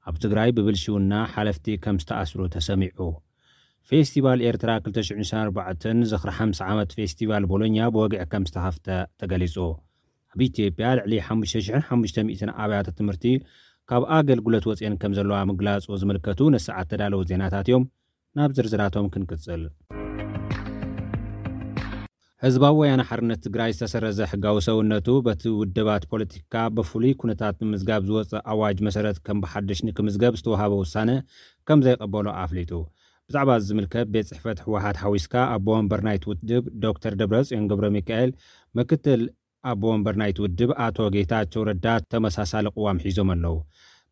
ኣብ ትግራይ ብብልሽውና ሓለፍቲ ከም ዝተኣስሩ ተሰሚዑ። ፌስቲቫል ኤርትራ ክልተ ሽሕን ዕስራን ኣርባዕተን ዝኽሪ ሓምሳ ዓመት ፌስቲቫል ቦሎኛ ብወግዒ ከም ዝተኸፍተ ተገሊጹ። ኣብ ኢትዮጵያ ልዕሊ ሓሙሽተ ሽሕን ሓሙሽተ ሚእትን ኣብያተ ትምህርቲ ካብ ኣገልግሎት ወፅየን ከም ዘለዋ ምግላፁ ዝምልከቱ ንሰዓት ተዳለዉ ዜናታት እዮም። ናብ ዝርዝራቶም ክንቅፅል። ህዝባዊ ወያነ ሓርነት ትግራይ ዝተሰረዘ ሕጋዊ ሰውነቱ በቲ ውድባት ፖለቲካ ብፍሉይ ኩነታት ንምዝጋብ ዝወፀ ኣዋጅ መሰረት ከም ብሓድሽ ንክምዝገብ ዝተዋሃበ ውሳነ ከም ዘይቀበሎ ኣፍሊጡ። ብዛዕባ እዚ ዝምልከት ቤት ፅሕፈት ህወሓት ሓዊስካ ኣቦ ወንበር ናይቲ ውድብ ዶክተር ደብረፅዮን ገብረ ሚካኤል፣ ምክትል ኣቦ ወንበር ናይቲ ውድብ ኣቶ ጌታቸው ረዳ ተመሳሳሊ ቅዋም ሒዞም ኣለዉ።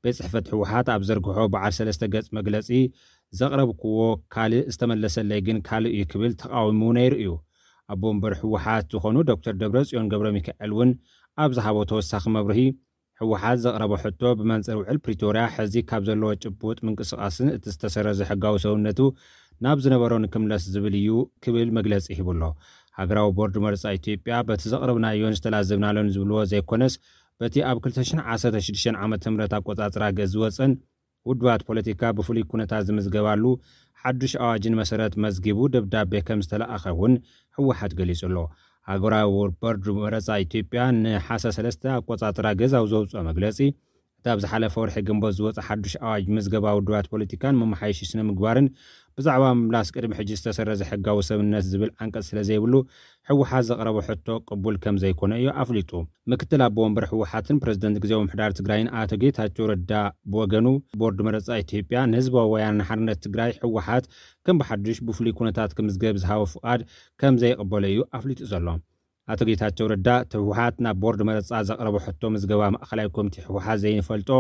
ቤት ፅሕፈት ህወሓት ኣብ ዘርግሖ በዓል ሰለስተ ገፅ መግለፂ፣ ዘቕረብክዎ ካልእ ዝተመለሰለይ ግን ካልእ እዩ ክብል ተቃዊሙ ነይሩ እዩ። ኣቦ ወንበር ህወሓት ዝኾኑ ዶክተር ደብረፅዮን ገብረ ሚካኤል እውን ኣብ ዝሃቦ ተወሳኺ መብርሂ፣ ህወሓት ዘቕረቦ ሕቶ ብመንፅር ውዕል ፕሪቶርያ ሕዚ ካብ ዘለዎ ጭቡጥ ምንቅስቃስን እቲ ዝተሰረዘ ሕጋዊ ሰውነቱ ናብ ዝነበሮ ንክምለስ ዝብል እዩ ክብል መግለፂ ሂቡ ኣሎ። ሃገራዊ ቦርድ መረፃ ኢትዮጵያ በቲ ዘቕረብናዮን ዝተላዘብናሎን ዝብልዎ ዘይኮነስ፣ በቲ ኣብ ክልተ ሽሕን ዓሰርተ ሽዱሽተን ዓመተ ምህረት ኣቆፃፅራ ገዝ ዝወፀን ውድባት ፖለቲካ ብፍሉይ ኩነታት ዝምዝገባሉ ሓዱሽ ኣዋጅን መሰረት መዝጊቡ ደብዳቤ ከም ዝተለኣኸ እውን ህወሓት ገሊጹ ኣሎ። ሃገራዊ ቦርድ መረፃ ኢትዮጵያ ንሓሰ ሰለስተ ኣቆፃፅራ ገዝ ኣብ ዘውፅኦ መግለፂ፣ እቲ ኣብ ዝሓለፈ ወርሒ ግንቦት ዝወፀ ሓዱሽ ኣዋጅ ምዝገባ ውድባት ፖለቲካን መመሓየሺ ስነ ምግባርን ብዛዕባ ምምላስ ቅድሚ ሕጂ ዝተሰረዘ ሕጋዊ ሰብነት ዝብል ዓንቀፅ ስለ ዘይብሉ፣ ህወሓት ዘቕረቦ ሕቶ ቅቡል ከም ዘይኮነ እዩ ኣፍሊጡ። ምክትል ኣቦ ወንበር ህወሓትን ፕረዚደንት ግዜያዊ ምምሕዳር ትግራይን ኣቶ ጌታቸው ረዳ ብወገኑ፣ ቦርድ መረፃ ኢትዮጵያ ንህዝባዊ ወያነ ሓርነት ትግራይ ህወሓት ከም ብሓዱሽ ብፍሉይ ኩነታት ክምዝገብ ዝሃቦ ፍቓድ ከም ዘይቕበሎ እዩ ኣፍሊጡ ዘሎ። ኣቶ ጌታቸው ረዳ፣ እቲ ህወሓት ናብ ቦርድ መረፃ ዘቕረቦ ሕቶ ምዝገባ ማእኸላይ ኮሚቴ ህወሓት ዘይንፈልጦ፣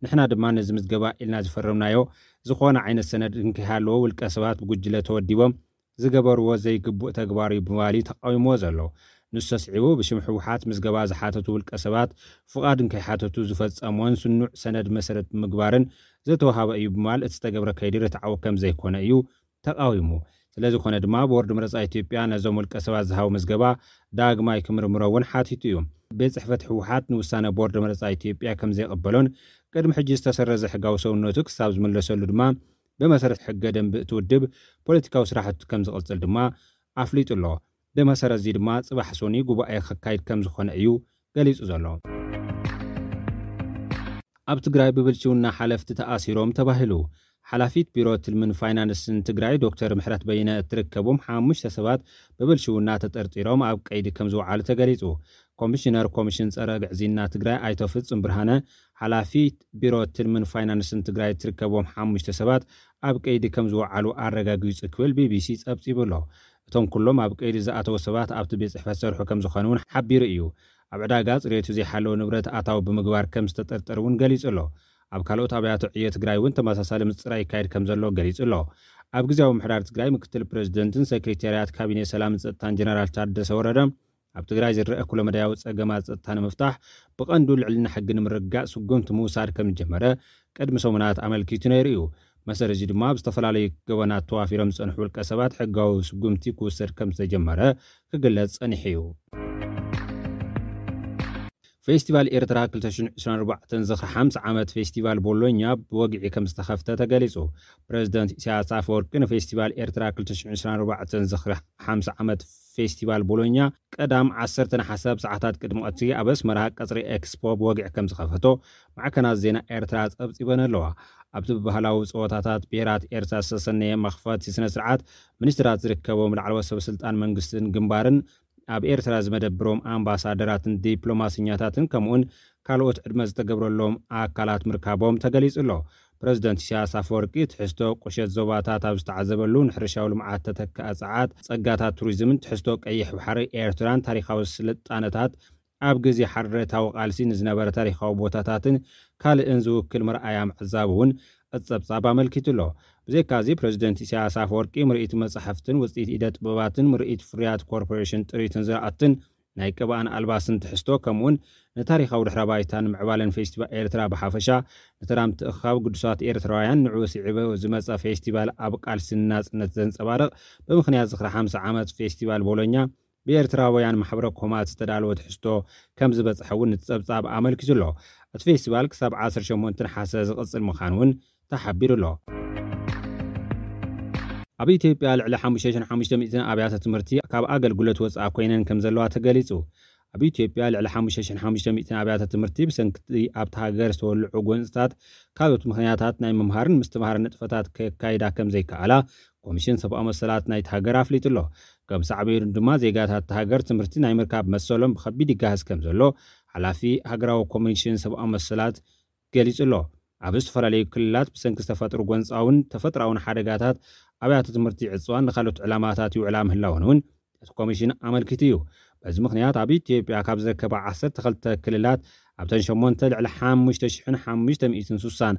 ንሕና ድማ ነዚ ምዝገባ ኢልና ዝፈረምናዮ ዝኾነ ዓይነት ሰነድ እንከይሃለዎ ውልቀ ሰባት ብጉጅለ ተወዲቦም ዝገበርዎ ዘይግቡእ ተግባር እዩ ብምባል እዩ ተቃዊምዎ ዘሎ። ንሱ ኣስዒቡ፣ ብሽም ህወሓት ምዝገባ ዝሓተቱ ውልቀ ሰባት ፍቓድ እንከይሓተቱ ዝፈጸሞን ስኑዕ ሰነድ መሰረት ብምግባርን ዝተወሃበ እዩ ብምባል እቲ ዝተገብረ ከይዲ ርትዓዊ ከም ዘይኮነ እዩ ተቃዊሙ። ስለ ዝኾነ ድማ ቦርድ መረጻ ኢትዮጵያ ነዞም ውልቀ ሰባት ዝሃቦ ምዝገባ ዳግማይ ክምርምሮ እውን ሓቲቱ እዩ። ቤት ጽሕፈት ህወሓት ንውሳነ ቦርድ መረጻ ኢትዮጵያ ከም ዘይቕበሎን ቅድሚ ሕጂ ዝተሰረዘ ሕጋዊ ሰውነቱ ክሳብ ዝምለሰሉ ድማ ብመሰረት ሕገ ደንቢ እቲ ውድብ ፖለቲካዊ ስራሕቱ ከም ዝቕጽል ድማ ኣፍሊጡ ኣሎ። ብመሰረት እዚ ድማ ጽባሕ ሶኒ ጉባኤ ከካይድ ከም ዝኾነ እዩ ገሊጹ ዘሎ። ኣብ ትግራይ ብብልሽውና ሓለፍቲ ተኣሲሮም ተባሂሉ። ሓላፊት ቢሮ ትልምን ፋይናንስን ትግራይ ዶክተር ምሕረት በይነ እትርከቦም ሓሙሽተ ሰባት ብብልሽውና ተጠርጢሮም ኣብ ቀይዲ ከም ዝወዓሉ ተገሊጹ። ኮሚሽነር ኮሚሽን ጸረ ግዕዝይና ትግራይ ኣይተ ፍጹም ብርሃነ፣ ሓላፊት ቢሮ ትልምን ፋይናንስን ትግራይ እትርከቦም ሓሙሽተ ሰባት ኣብ ቀይዲ ከም ዝወዓሉ ኣረጋጊጹ ክብል ቢቢሲ ጸብጺቡ ኣሎ። እቶም ኩሎም ኣብ ቀይዲ ዝኣተዉ ሰባት ኣብቲ ቤት ጽሕፈት ዝሰርሑ ከም ዝኾኑ እውን ሓቢሩ እዩ። ኣብ ዕዳጋ ጽሬቱ ዘይሓለወ ንብረት ኣታዊ ብምግባር ከም ዝተጠርጠሩ እውን ገሊጹ ኣሎ። ኣብ ካልኦት ኣብያተ ዕዮ ትግራይ እውን ተመሳሳሊ ምጽራይ ይካየድ ከም ዘሎ ገሊጹ ኣሎ። ኣብ ግዜያዊ ምሕዳር ትግራይ ምክትል ፕሬዚደንትን ሴክሬታርያት ካቢኔ ሰላምን ጸጥታን ጀነራል ታደሰ ወረደ፣ ኣብ ትግራይ ዝረአ ኩለመዳያዊ ጸገማት ጸጥታ ንምፍታሕ ብቐንዱ ልዕልና ሕጊ ንምርግጋጽ ስጉምቲ ምውሳድ ከም ዝጀመረ ቅድሚ ሰሙናት ኣመልኪቱ ነይሩ እዩ። መሰረት እዚ ድማ ኣብ ዝተፈላለዩ ገበናት ተዋፊሮም ዝጸንሑ ውልቀ ሰባት ሕጋዊ ስጉምቲ ክውሰድ ከም ዝተጀመረ ክግለጽ ጸኒሑ እዩ። ፌስቲቫል ኤርትራ ክልተ ሽሕን ዕስራን ኣርባዕተን ዝኽሪ ሓምሳ ዓመት ፌስቲቫል ቦሎኛ ብወግዒ ከም ዝተኸፍተ ተገሊጹ። ፕረዚደንት ኢሳያስ ኣፈወርቂ ንፌስቲቫል ኤርትራ ክልተ ሽሕን ዕስራን ኣርባዕተን ዝኽሪ ሓምሳ ዓመት ፌስቲቫል ቦሎኛ ቀዳም ዓሰርተ ነሓሰ ኣብ ሰዓታት ቅድሚ ቀትሪ ኣብ ኣስመራ ቀጽሪ ኤክስፖ ብወግዒ ከም ዝኸፈቶ ማዕከናት ዜና ኤርትራ ጸብጺበን ኣለዋ። ኣብቲ ብባህላዊ ጸወታታት ብሄራት ኤርትራ ዝተሰነየ መኽፈቲ ስነ ስርዓት፣ ሚኒስትራት ዝርከቦም ላዕለዎት ሰበ ስልጣን መንግስትን ግንባርን፣ ኣብ ኤርትራ ዝመደብሮም ኣምባሳደራትን ዲፕሎማሰኛታትን ከምኡውን ካልኦት ዕድመ ዝተገብረሎም ኣካላት ምርካቦም ተገሊጹ ኣሎ። ፕረዚደንት ኢሳያስ ኣፈወርቂ ትሕዝቶ ቁሸት ዞባታት ኣብ ዝተዓዘበሉ፣ ንሕርሻዊ ልምዓት ተተካኢ ጸዓት፣ ጸጋታት ቱሪዝምን ትሕዝቶ ቀይሕ ባሕሪ ኤርትራን ታሪኻዊ ስልጣነታት፣ ኣብ ግዜ ሓርነታዊ ቃልሲ ንዝነበረ ታሪኻዊ ቦታታትን ካልእን ዝውክል መርኣያ ምዕዛቡ እውን እቲ ጸብጻብ ኣመልኪቱ ኣሎ። ብዘይካዚ፣ ፕረዚደንት ኢሳያስ ኣፈወርቂ ምርኢት መጻሕፍትን ውጽኢት ኢደ ጥበባትን፣ ምርኢት ፍርያት ኮርፖሬሽን ጥሪትን ዝራእትን፣ ናይ ቅብኣን ኣልባስን ትሕዝቶ፣ ከምኡውን ንታሪኻዊ ድሕረ ባይታን ምዕባለን ፌስቲቫል ኤርትራ ብሓፈሻ፣ ንተራ ምትእኽኻብ ግዱሳት ኤርትራውያን ንዕኡ ስዒቡ ዝመጸ ፌስቲቫል ኣብ ቃልሲ ንናጽነት ዘንጸባርቕ፣ ብምኽንያት ዝኽሪ ሓምሳ ዓመት ፌስቲቫል ቦሎኛ ብኤርትራውያን ማሕበረ ኮማት ዝተዳለወ ትሕዝቶ ከም ዝበጽሐ እውን እቲ ጸብጻብ ኣመልኪቱ ኣሎ። እቲ ፌስቲቫል ክሳብ ዓሰርተ ሸሞንተ ነሓሰ ዝቕጽል ምዃኑ እውን ተሓቢሩ ኣሎ። ኣብ ኢትዮጵያ ልዕሊ ሓሙሽተ ሽሕን ሓሙሽተ ሚእትን ኣብያተ ትምህርቲ ካብ ኣገልግሎት ወጻኢ ኮይነን ከም ዘለዋ ተገሊጹ። ኣብ ኢትዮጵያ ልዕሊ ሓሙሽተ ሽሕን ሓሙሽተ ሚእትን ኣብያተ ትምህርቲ ብሰንኪ ኣብቲ ሃገር ዝተወልዑ ጎንፅታት ካልኦት ምኽንያታት ናይ ምምሃርን ምስትምሃርን ንጥፈታት ከካይዳ ከም ዘይከኣላ ኮሚሽን ሰብኣዊ መሰላት ናይቲ ሃገር ኣፍሊጡ ኣሎ። ከም ሳዕቤኑ ድማ ዜጋታት እቲ ሃገር ትምህርቲ ናይ ምርካብ መሰሎም ብኸቢድ ይጋሃስ ከም ዘሎ ሓላፊ ሃገራዊ ኮሚሽን ሰብኣዊ መሰላት ገሊጹ ኣሎ። ኣብ ዝተፈላለዩ ክልላት ብሰንኪ ዝተፈጥሩ ጎንጻውን ተፈጥራውን ሓደጋታት ኣብያተ ትምህርቲ ይዕጽዋን ንኻልኦት ዕላማታት ይውዕላ ምህላወን እውን እቲ ኮሚሽን ኣመልኪቱ እዩ። በዚ ምኽንያት ኣብ ኢትዮጵያ ካብ ዝርከባ ዓሰርተ ክልተ ክልላት ኣብተን ሸሞንተ ልዕሊ ሓሙሽተ ሽሕን ሓሙሽተ ሚእትን ስሳን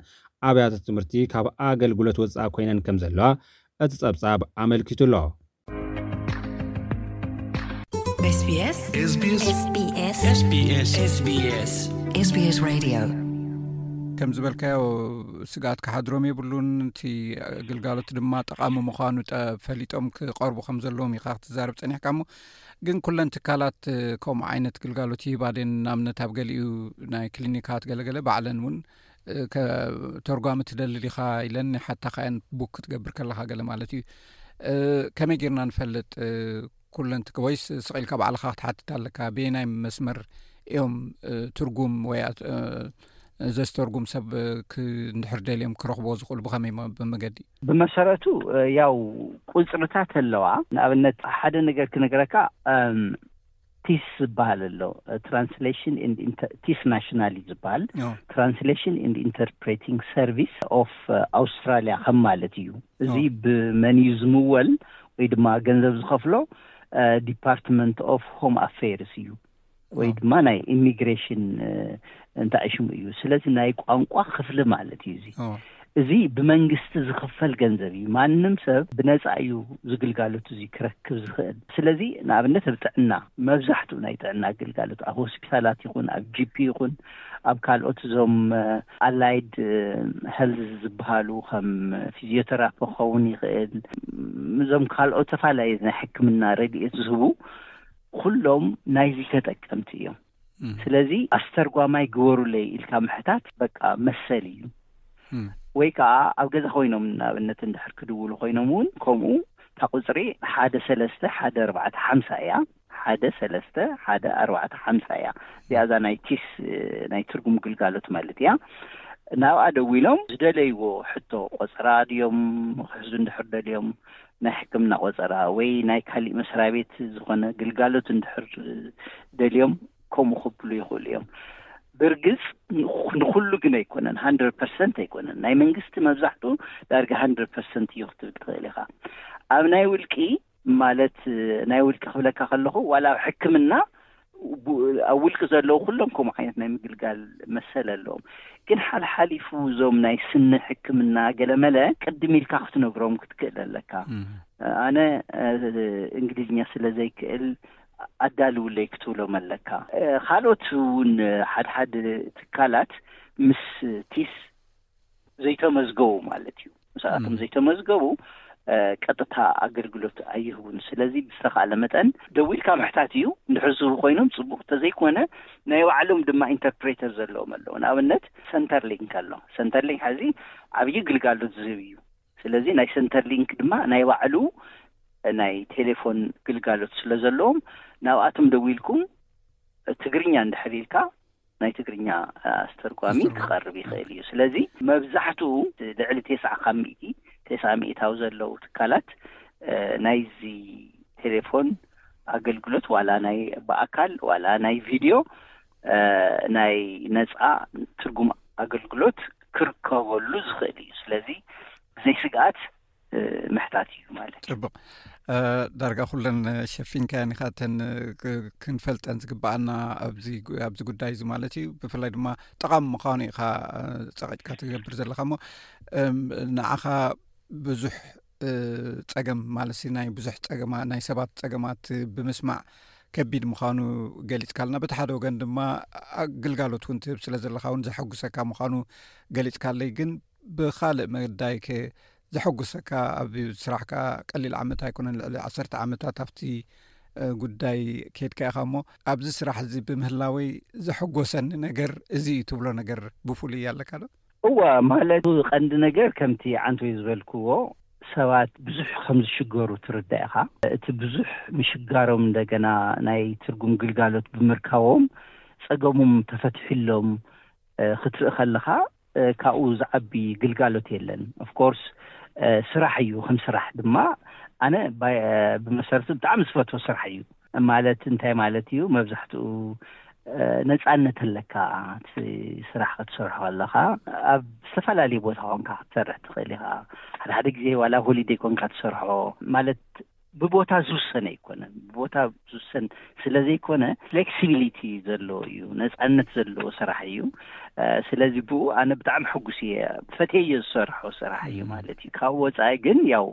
ኣብያተ ትምህርቲ ካብ ኣገልግሎት ወጻኢ ኮይነን ከም ዘለዋ እቲ ጸብጻብ ኣመልኪቱ ኣሎ። SBS SBS SBS SBS SBS Radio ከም ዝበልካዮ ስግኣት ክሓድሮም የብሉን። እቲ ግልጋሎት ድማ ጠቓሚ ምዃኑ ጠ- ፈሊጦም ክቐርቡ ከም ዘለዎም ኢኻ ክትዛረብ ጸኒሕካ። እሞ ግን ኩለን ትካላት ከምኡ ዓይነት ግልጋሎት ይህባ ደን? ንኣብነት ኣብ ገሊኡ ናይ ክሊኒካት ገለገለ ባዕለን እውን እ፣ ከ- ተርጓሚ ትደሊ ዲኻ ኢለን ይሓታኻ እየን። ቡክ ክትገብር ከለኻ ገለ ማለት እዩ። እ፣ ከመይ ጌርና ንፈልጥ? እ፣ ኩለን ትክ- ወይስ ስቕ ኢልካ ባዕልኻ ክትሓትት ኣለካ? በየናይ መስመር እዮም እ፣ ትርጉም ወይ ኣት- እ፣ ዘስተርጉም ሰብ እ፣ ክ- እንድሕር ደልዮም ክረኽቦ ዝኽእሉ ብኸመይ መ- ብመገዲ? ብመሰረቱ እ፣ ያው ቁፅርታት ኣለዋ። ንኣብነት ሓደ ነገር ክነግረካ እም፣ ቲስ ዝበሃል ኣሎ። ትራንስሌሽን ቲስ ናሽናል እዩ ዝበሃል። ትራንስሌሽን ኢንድ ኢንተርፕሬቲንግ ሰርቪስ ኦፍ ኣውስትራሊያ ከም ማለት እዩ። እዚ ብመን እዩ ዝምወል ወይ ድማ ገንዘብ ዝኸፍሎ? ዲፓርትመንት ኦፍ ሆም ኣፌርስ እዩ ወይ ድማ ናይ ኢሚግሬሽን እንታይ ሽሙ እዩ። ስለዚ ናይ ቋንቋ ክፍሊ ማለት እዩ። እዚ እዚ ብመንግስቲ ዝኽፈል ገንዘብ እዩ። ማንም ሰብ ብነፃ እዩ ዝግልጋሎት እዚ ክረክብ ዝኽእል። ስለዚ ንኣብነት ኣብ ጥዕና፣ መብዛሕትኡ ናይ ጥዕና ግልጋሎት ኣብ ሆስፒታላት ይኹን ኣብ ጂፒ ይኹን ኣብ ካልኦት እዞም ኣላይድ ሄልዝ ዝበሃሉ ከም ፊዚዮተራፒ ክኸውን ይኽእል፣ እዞም ካልኦት ተፈላለየ ናይ ሕክምና ረድኤት ዝህቡ ኩሎም ናይዚ ተጠቀምቲ እዮም። ስለዚ ኣስተርጓማይ ግበሩለይ ኢልካ ምሕታት በቃ መሰል እዩ። ወይ ከዓ ኣብ ገዛ ኮይኖም ንኣብነት እንድሕር ክድውሉ ኮይኖም እውን ከምኡ እታ ቁፅሪ ሓደ ሰለስተ ሓደ ኣርባዕተ ሓምሳ እያ። ሓደ ሰለስተ ሓደ ኣርባዕተ ሓምሳ እያ። እዚኣ እዛ ናይ ቲስ ናይ ትርጉም ግልጋሎት ማለት እያ። ናብኣ ደዊሎም ዝደለይዎ ሕቶ ቆፀራ ድዮም ክሕዙ እንድሕር ደልዮም ናይ ሕክምና ቆፀራ ወይ ናይ ካሊእ መስሪያ ቤት ዝኾነ ግልጋሎት እንድሕር ደልዮም ከምኡ ክብሉ ይኽእሉ እዮም። ብርግፅ ንኩሉ ግን ኣይኮነን፣ ሃንድረድ ፐርሰንት ኣይኮነን። ናይ መንግስቲ መብዛሕትኡ ዳርጋ ሃንድረድ ፐርሰንት እዩ ክትብል ትኽእል ኢኻ። ኣብ ናይ ውልቂ ማለት ናይ ውልቂ ክብለካ ከለኹ ዋላ ኣብ ሕክምና ኣብ ውልቂ ዘለዉ ኩሎም ከምኡ ዓይነት ናይ ምግልጋል መሰል ኣለዎም። ግን ሓልሓሊፉ እዞም ናይ ስኒ ሕክምና ገለመለ ቅድም ኢልካ ክትነግሮም ክትክእል ኣለካ። ኣነ እንግሊዝኛ ስለ ዘይክእል ኣዳልውለይ ክትብሎም ኣለካ። ካልኦት እውን ሓድሓድ ትካላት ምስ ቲስ ዘይተመዝገቡ ማለት እዩ። ምስኣቶም ዘይተመዝገቡ ቀጥታ ኣገልግሎት ኣይህቡን። ስለዚ ብዝተኻለ መጠን ደዊልካ ምሕታት እዩ። እንድሕር ዝህቡ ኮይኖም ፅቡቕ፣ እንተዘይኮነ ናይ ባዕሎም ድማ ኢንተርፕሬተር ዘለዎም ኣለዉ። ንኣብነት ሰንተር ሊንክ ኣሎ። ሰንተር ሊንክ ሕዚ ዓብዪ ግልጋሎት ዝህብ እዩ። ስለዚ ናይ ሰንተር ሊንክ ድማ ናይ ባዕሉ ናይ ቴሌፎን ግልጋሎት ስለ ዘለዎም ናብኣቶም ደዊልኩም ትግርኛ እንድሕር ኢልካ ናይ ትግርኛ ኣስተርጓሚ ክቐርብ ይኽእል እዩ። ስለዚ መብዛሕትኡ ልዕሊ ተስዓ ካብ ሚእቲ፣ ተስዓ ሚእታዊ ዘለዉ ትካላት ናይዚ ቴሌፎን ኣገልግሎት ዋላ ናይ ብኣካል ዋላ ናይ ቪድዮ ናይ ነፃ ትርጉም ኣገልግሎት ክርከበሉ ዝኽእል እዩ። ስለዚ ብዘይ ስግኣት ምሕታት እዩ ማለት። ፅቡቕ። ዳርጋ ኩለን ሸፊንካየን ኢኻ፣ እተን ክንፈልጠን ዝግበኣና ኣብዚ ጉዳይ እዚ ማለት እዩ። ብፍላይ ድማ ጠቓሚ ምዃኑ ኢኻ ፀቒጥካ ትገብር ዘለኻ። እሞ ንዓኻ ብዙሕ ፀገም ማለት ናይ ብዙሕ ፀገማ ናይ ሰባት ፀገማት ብምስማዕ ከቢድ ምዃኑ ገሊፅካልና፣ በቲ ሓደ ወገን ድማ ግልጋሎት እውን ትህብ ስለ ዘለኻ እውን ዘሐጉሰካ ምዃኑ ገሊፅካለይ። ግን ብኻልእ መዳይ ከ ዘሐጉሰካ ኣብ ስራሕካ ቀሊል ዓመት ኣይኮነን፣ ልዕሊ ዓሰርተ ዓመታት ኣብቲ ጉዳይ ከድካ ኢኻ። እሞ ኣብዚ ስራሕ እዚ ብምህላወይ ዘሐጎሰኒ ነገር እዚ እዩ ትብሎ ነገር ብፍሉይ ኣለካ ዶ? እወ፣ ማለት ቀንዲ ነገር ከምቲ ዓንቶይ ዝበልክዎ ሰባት ብዙሕ ከም ዝሽገሩ ትርዳእ ኢኻ። እቲ ብዙሕ ምሽጋሮም እንደገና ናይ ትርጉም ግልጋሎት ብምርካቦም ጸገሞም ተፈትሒሎም ክትርኢ ከለኻ ካብኡ ዝዓቢ ግልጋሎት የለን። ኦፍኮርስ ስራሕ እዩ። ከም ስራሕ ድማ ኣነ ብመሰረቱ ብጣዕሚ ዝፈትዎ ስራሕ እዩ። ማለት እንታይ ማለት እዩ? መብዛሕትኡ ነፃነት ኣለካ። እቲ ስራሕ ክትሰርሖ ኣለካ ኣብ ዝተፈላለዩ ቦታ ኮንካ ክትሰርሕ ትኽእል ኢኻ። ሓደ ሓደ ግዜ ዋላ ሆሊደይ ኮንካ ትሰርሖ። ማለት ብቦታ ዝውሰን ኣይኮነን። ብቦታ ዝውሰን ስለ ዘይኮነ ፍሌክሲቢሊቲ ዘለዎ እዩ፣ ነፃነት ዘለዎ ስራሕ እዩ። ስለዚ ብኡ ኣነ ብጣዕሚ ሕጉስ እየ። ፈትየዮ ዝሰርሖ ስራሕ እዩ ማለት እዩ። ካብ ወፃኢ ግን ያው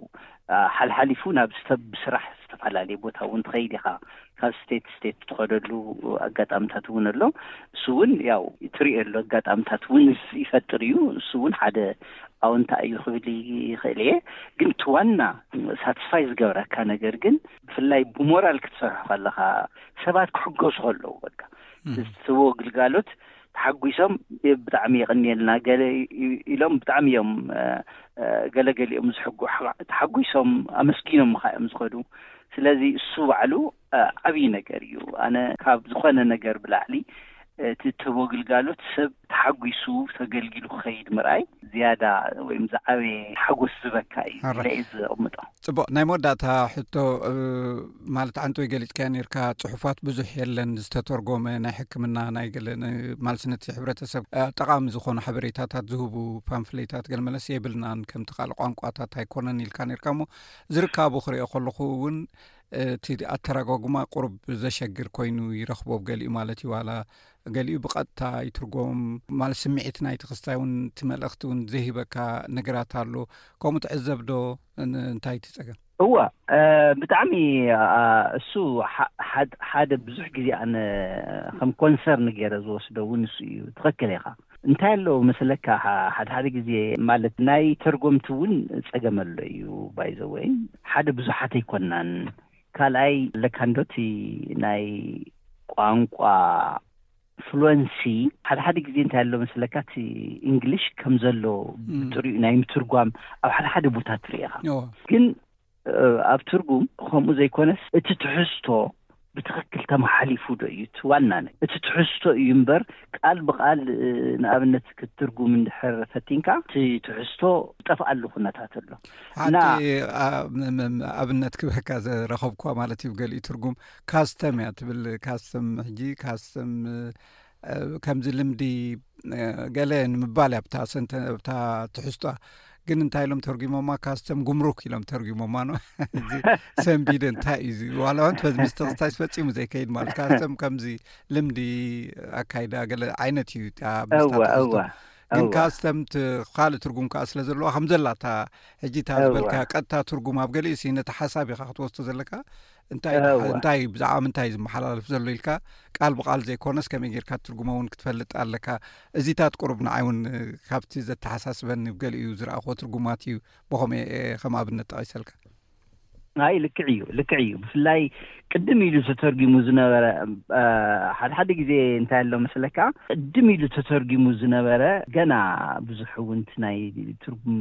ሓልሓሊፉ ናብ ብስራሕ ዝተፈላለየ ቦታ እውን ትኸይድ ኢኻ። ካብ ስቴት ስቴት ትኸደሉ ኣጋጣምታት እውን ኣሎ። እሱ እውን ያው ትሪኦ ኣሎ ኣጋጣምታት እውን ይፈጥር እዩ። እሱ እውን ሓደ ኣውንታ እዩ ክብል ይኽእል እየ። ግን እቲ ዋና ሳትስፋይ ዝገብረካ ነገር ግን ብፍላይ ብሞራል ክትሰርሖ ከለኻ ሰባት ክሕገዙ ከለዉ በቃ ትህቦ ግልጋሎት ተሓጒሶም ብጣዕሚ የቐንየልና ገለ ኢሎም ብጣዕሚ እዮም ገለገሊኦም ዝሕጉ ተሓጒሶም ኣመስጊኖም ምኻ እዮም ዝኸዱ። ስለዚ እሱ ባዕሉ ዓብዪ ነገር እዩ። ኣነ ካብ ዝኾነ ነገር ብላዕሊ እቲ ትህቦ ግልጋሎት ሰብ ተሓጒሱ ተገልጊሉ ክኸይድ ምርኣይ ዝያዳ ወይም ዝዓበየ ሓጎስ ዝህበካ እዩ ኢለ እየ ዝቕምጦ። ጽቡቕ። ናይ መወዳእታ ሕቶ ማለት ዓንተወይ ገሊጽካዮ ነርካ፣ ጽሑፋት ብዙሕ የለን ዝተተርጎመ ናይ ሕክምና ናይ ገለ ማልስነት ሕብረተሰብ ጠቓሚ ዝኾኑ ሓበሬታታት ዝህቡ ፓምፍሌታት ገለመለስ የብልናን ከምቲ ካልእ ቋንቋታት ኣይኮነን ኢልካ ነርካ። እሞ ዝርካቡ ክሪኦ ከለኹ እውን እቲ ኣተራጓጉማ ቁሩብ ዘሸግር ኮይኑ ይረኽቦ ገሊኡ ማለት እዩ። ዋላ ገሊኡ ብቐጥታ ይትርጎም ማለት ስምዒት ናይቲ ክስታይ እውን እቲ መልእኽቲ እውን ዘይህበካ ነገራት ኣሎ። ከምኡ ትዕዘብ ዶ? እንታይ እቲ ጸገም? እወ፣ ብጣዕሚ እሱ ሓደ ብዙሕ ግዜ ኣነ ከም ኮንሰርን ገይረ ዝወስዶ እውን እሱ እዩ። ትኽክል ኢኻ። እንታይ ኣለዎ መስለካ፣ ሓደ ሓደ ግዜ ማለት ናይ ተርጎምቲ እውን ጸገም ኣሎ እዩ። ባይዘወይ ሓደ ብዙሓት ኣይኮናን። ካልኣይ ለካ እንዶ እቲ ናይ ቋንቋ ፍሉንሲ ሓደ ሓደ ግዜ እንታይ ኣሎ መስለካ፣ እቲ እንግሊሽ ከም ዘሎ ብጥሪኡ ናይ ምትርጓም ኣብ ሓደ ሓደ ቦታ ትርኢ ኢኻ። ግን ኣብ ትርጉም ከምኡ ዘይኮነስ እቲ ትሕዝቶ ብትኽክል ተመሓሊፉ ዶ እዩ እቲ ዋና ነገር። እቲ ትሕዝቶ እዩ እምበር ቃል ብቃል ንኣብነት ክትትርጉም እንድሕር ፈቲንካ እቲ ትሕዝቶ ዝጠፍኣሉ ኩነታት ኣሎ። ሓንቲ ኣብነት ክበካ ዘረኸብኳ ማለት እዩ። ገሊኡ ትርጉም ካስተም እያ ትብል። ካስተም ሕጂ ካስተም ከምዚ ልምዲ ገለ ንምባል እያ ብታ ሰንተ ብታ ትሕዝቷ። ግን እንታይ ኢሎም ተርጉሞማ? ካስተም ጉምሩክ ኢሎም ተርጉሞማ ነው። እዚ ሰንቢደ እንታይ እዩ እዚ? ዋላ እውን ፈዝ ምስተኽስታይስ ፈጺሙ ዘይከይድ ማለት ካስተም ከምዚ ልምዲ ኣካይዳ ገለ ዓይነት እዩ። ግን ካስተም ካልእ ትርጉም ከዓ ስለ ዘለዋ ከም ዘላታ ሕጂ እታ ዝበልካ ቀጥታ ትርጉም ኣብ ገሊኡ ሲ ነቲ ሓሳብ ኢኻ ክትወስዶ ዘለካ። እንታይ እንታይ ብዛዕባ ምንታይ ዝመሓላለፍ ዘሎ ኢልካ ቃል ብቃል ዘይኮነስ ከመይ ጌርካ ትርጉሞ እውን ክትፈልጥ ኣለካ። እዚታት ቁሩብ ንዓይ እውን ካብቲ ዘተሓሳስበኒ ገሊኡ ዝረኣኽዎ ትርጉማት እዩ። ብኸምኡ ከም ኣብነት ጠቒሰልካ። ኣይ ልክዕ እዩ፣ ልክዕ እዩ። ብፍላይ ቅድም ኢሉ ተተርጊሙ ዝነበረ ሓደ ሓደ ግዜ እንታይ ኣሎ መስለካ፣ ቅድም ኢሉ ተተርጊሙ ዝነበረ ገና ብዙሕ እውን ናይ ትርጉም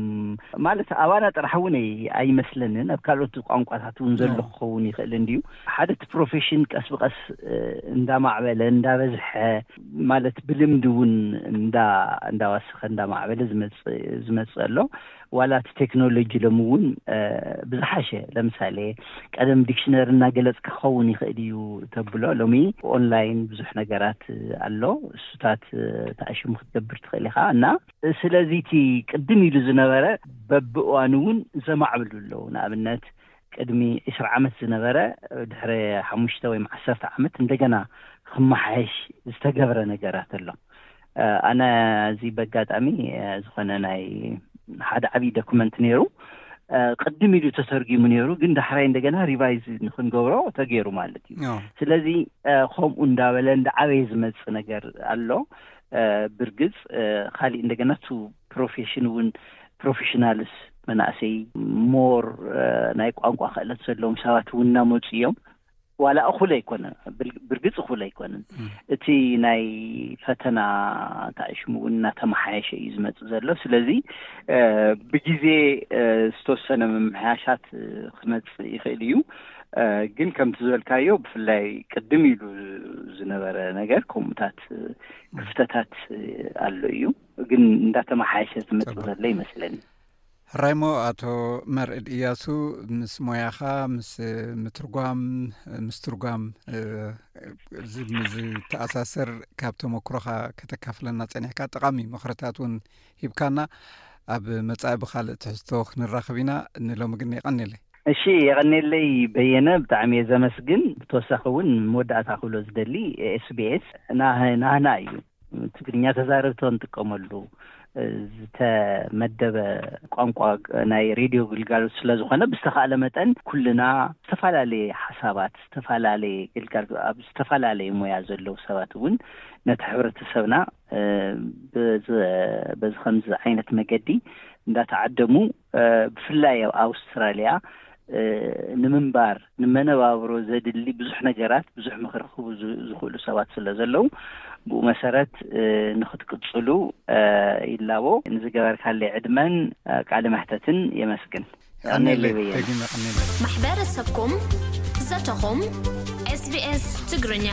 ማለት ኣባና ጥራሕ እውን ኣይመስለንን፣ ኣብ ካልኦት ቋንቋታት እውን ዘሎ ክኸውን ይኽእል እንድዩ። ሓደ እቲ ፕሮፌሽን ቀስ ብቀስ እንዳማዕበለ እንዳበዝሐ ማለት ብልምዲ እውን እንዳ እንዳዋሰኸ እንዳማዕበለ ዝመጽእ ኣሎ። ዋላ እቲ ቴክኖሎጂ ሎም እውን ብዝሓሸ ለምሳሌ ቀደም ዲክሽነሪ እናገለጽ ክኸውን ይኽእል እዩ ተብሎ ሎሚ ኦንላይን ብዙሕ ነገራት ኣሎ። እሱታት ተኣሽሙ ክትገብር ትኽእል ኢኻ እና ስለዚ እቲ ቅድም ኢሉ ዝነበረ በብእዋኑ እውን ዘማዕብሉ ኣለዉ። ንኣብነት ቅድሚ ዕስራ ዓመት ዝነበረ ድሕሪ ሓሙሽተ ወይ ዓሰርተ ዓመት እንደገና ክመሓየሽ ዝተገብረ ነገራት ኣሎ። ኣነ እዚ በጋጣሚ ዝኾነ ናይ ሓደ ዓብዪ ዶክመንት ነይሩ ቅድም ኢሉ ተተርጊሙ ነይሩ፣ ግን ዳሕራይ እንደገና ሪቫይዝ ንክንገብሮ ተገይሩ ማለት እዩ። ስለዚ ከምኡ እንዳበለ እንዳዓበየ ዝመፅእ ነገር ኣሎ። ብርግፅ ካሊእ እንደገና ቱ ፕሮፌሽን እውን ፕሮፌሽናልስ መናእሰይ ሞር ናይ ቋንቋ ክእለት ዘለዎም ሰባት እውን እናመፁ እዮም። ዋላ እኹል ኣይኮነን፣ ብርግፅ እኹል ኣይኮነን። እቲ ናይ ፈተና ታሽሙ እውን እናተመሓየሸ እዩ ዝመፅእ ዘሎ። ስለዚ ብግዜ ዝተወሰነ ምምሕያሻት ክመፅእ ይኽእል እዩ። ግን ከምቲ ዝበልካዮ ብፍላይ ቅድም ኢሉ ዝነበረ ነገር ከምኡታት ክፍተታት ኣሎ እዩ። ግን እንዳተመሓየሸ ዝመፅእ ዘሎ ይመስለኒ። ሕራይሞ ኣቶ መርዕድ እያሱ፣ ምስ ሞያኻ፣ ምስ ምትርጓም፣ ምስ ትርጓም ዝተኣሳሰር ካብ ተመክሮኻ ከተካፍለና ፀኒሕካ፣ ጠቓሚ ምኽርታት እውን ሂብካና። ኣብ መጻኢ ብኻልእ ትሕዝቶ ክንራኸብ ኢና። ንሎሚ ግን የቐንየለይ። እሺ፣ የቐንየለይ በየነ፣ ብጣዕሚ እየ ዘመስግን። ብተወሳኺ እውን መወዳእታ ክብሎ ዝደሊ፣ ኤስቢኤስ ናህና እዩ። ትግርኛ ተዛረብቲ ክንጥቀመሉ ዝተመደበ ቋንቋ ናይ ሬድዮ ግልጋሎት ስለ ዝኾነ፣ ብዝተኻእለ መጠን ኩልና ዝተፈላለየ ሓሳባት፣ ዝተፈላለየ ግልጋል ኣብ ዝተፈላለየ ሞያ ዘለዉ ሰባት እውን ነቲ ሕብረተሰብና በዚ ከምዚ ዓይነት መገዲ እንዳተዓደሙ፣ ብፍላይ ኣብ ኣውስትራልያ ንምንባር፣ ንመነባብሮ ዘድሊ ብዙሕ ነገራት፣ ብዙሕ ምኽሪ ክህቡ ዝኽእሉ ሰባት ስለ ዘለዉ፣ ብኡ መሰረት ንኽትቅፅሉ ይላቦ። ንዝገበርካለይ ዕድመን ቃለ መሕተትን የመስግን። ቀኔለይ በየነ። ማሕበረሰብኩም ዘተኹም። ኤስቢኤስ ትግርኛ።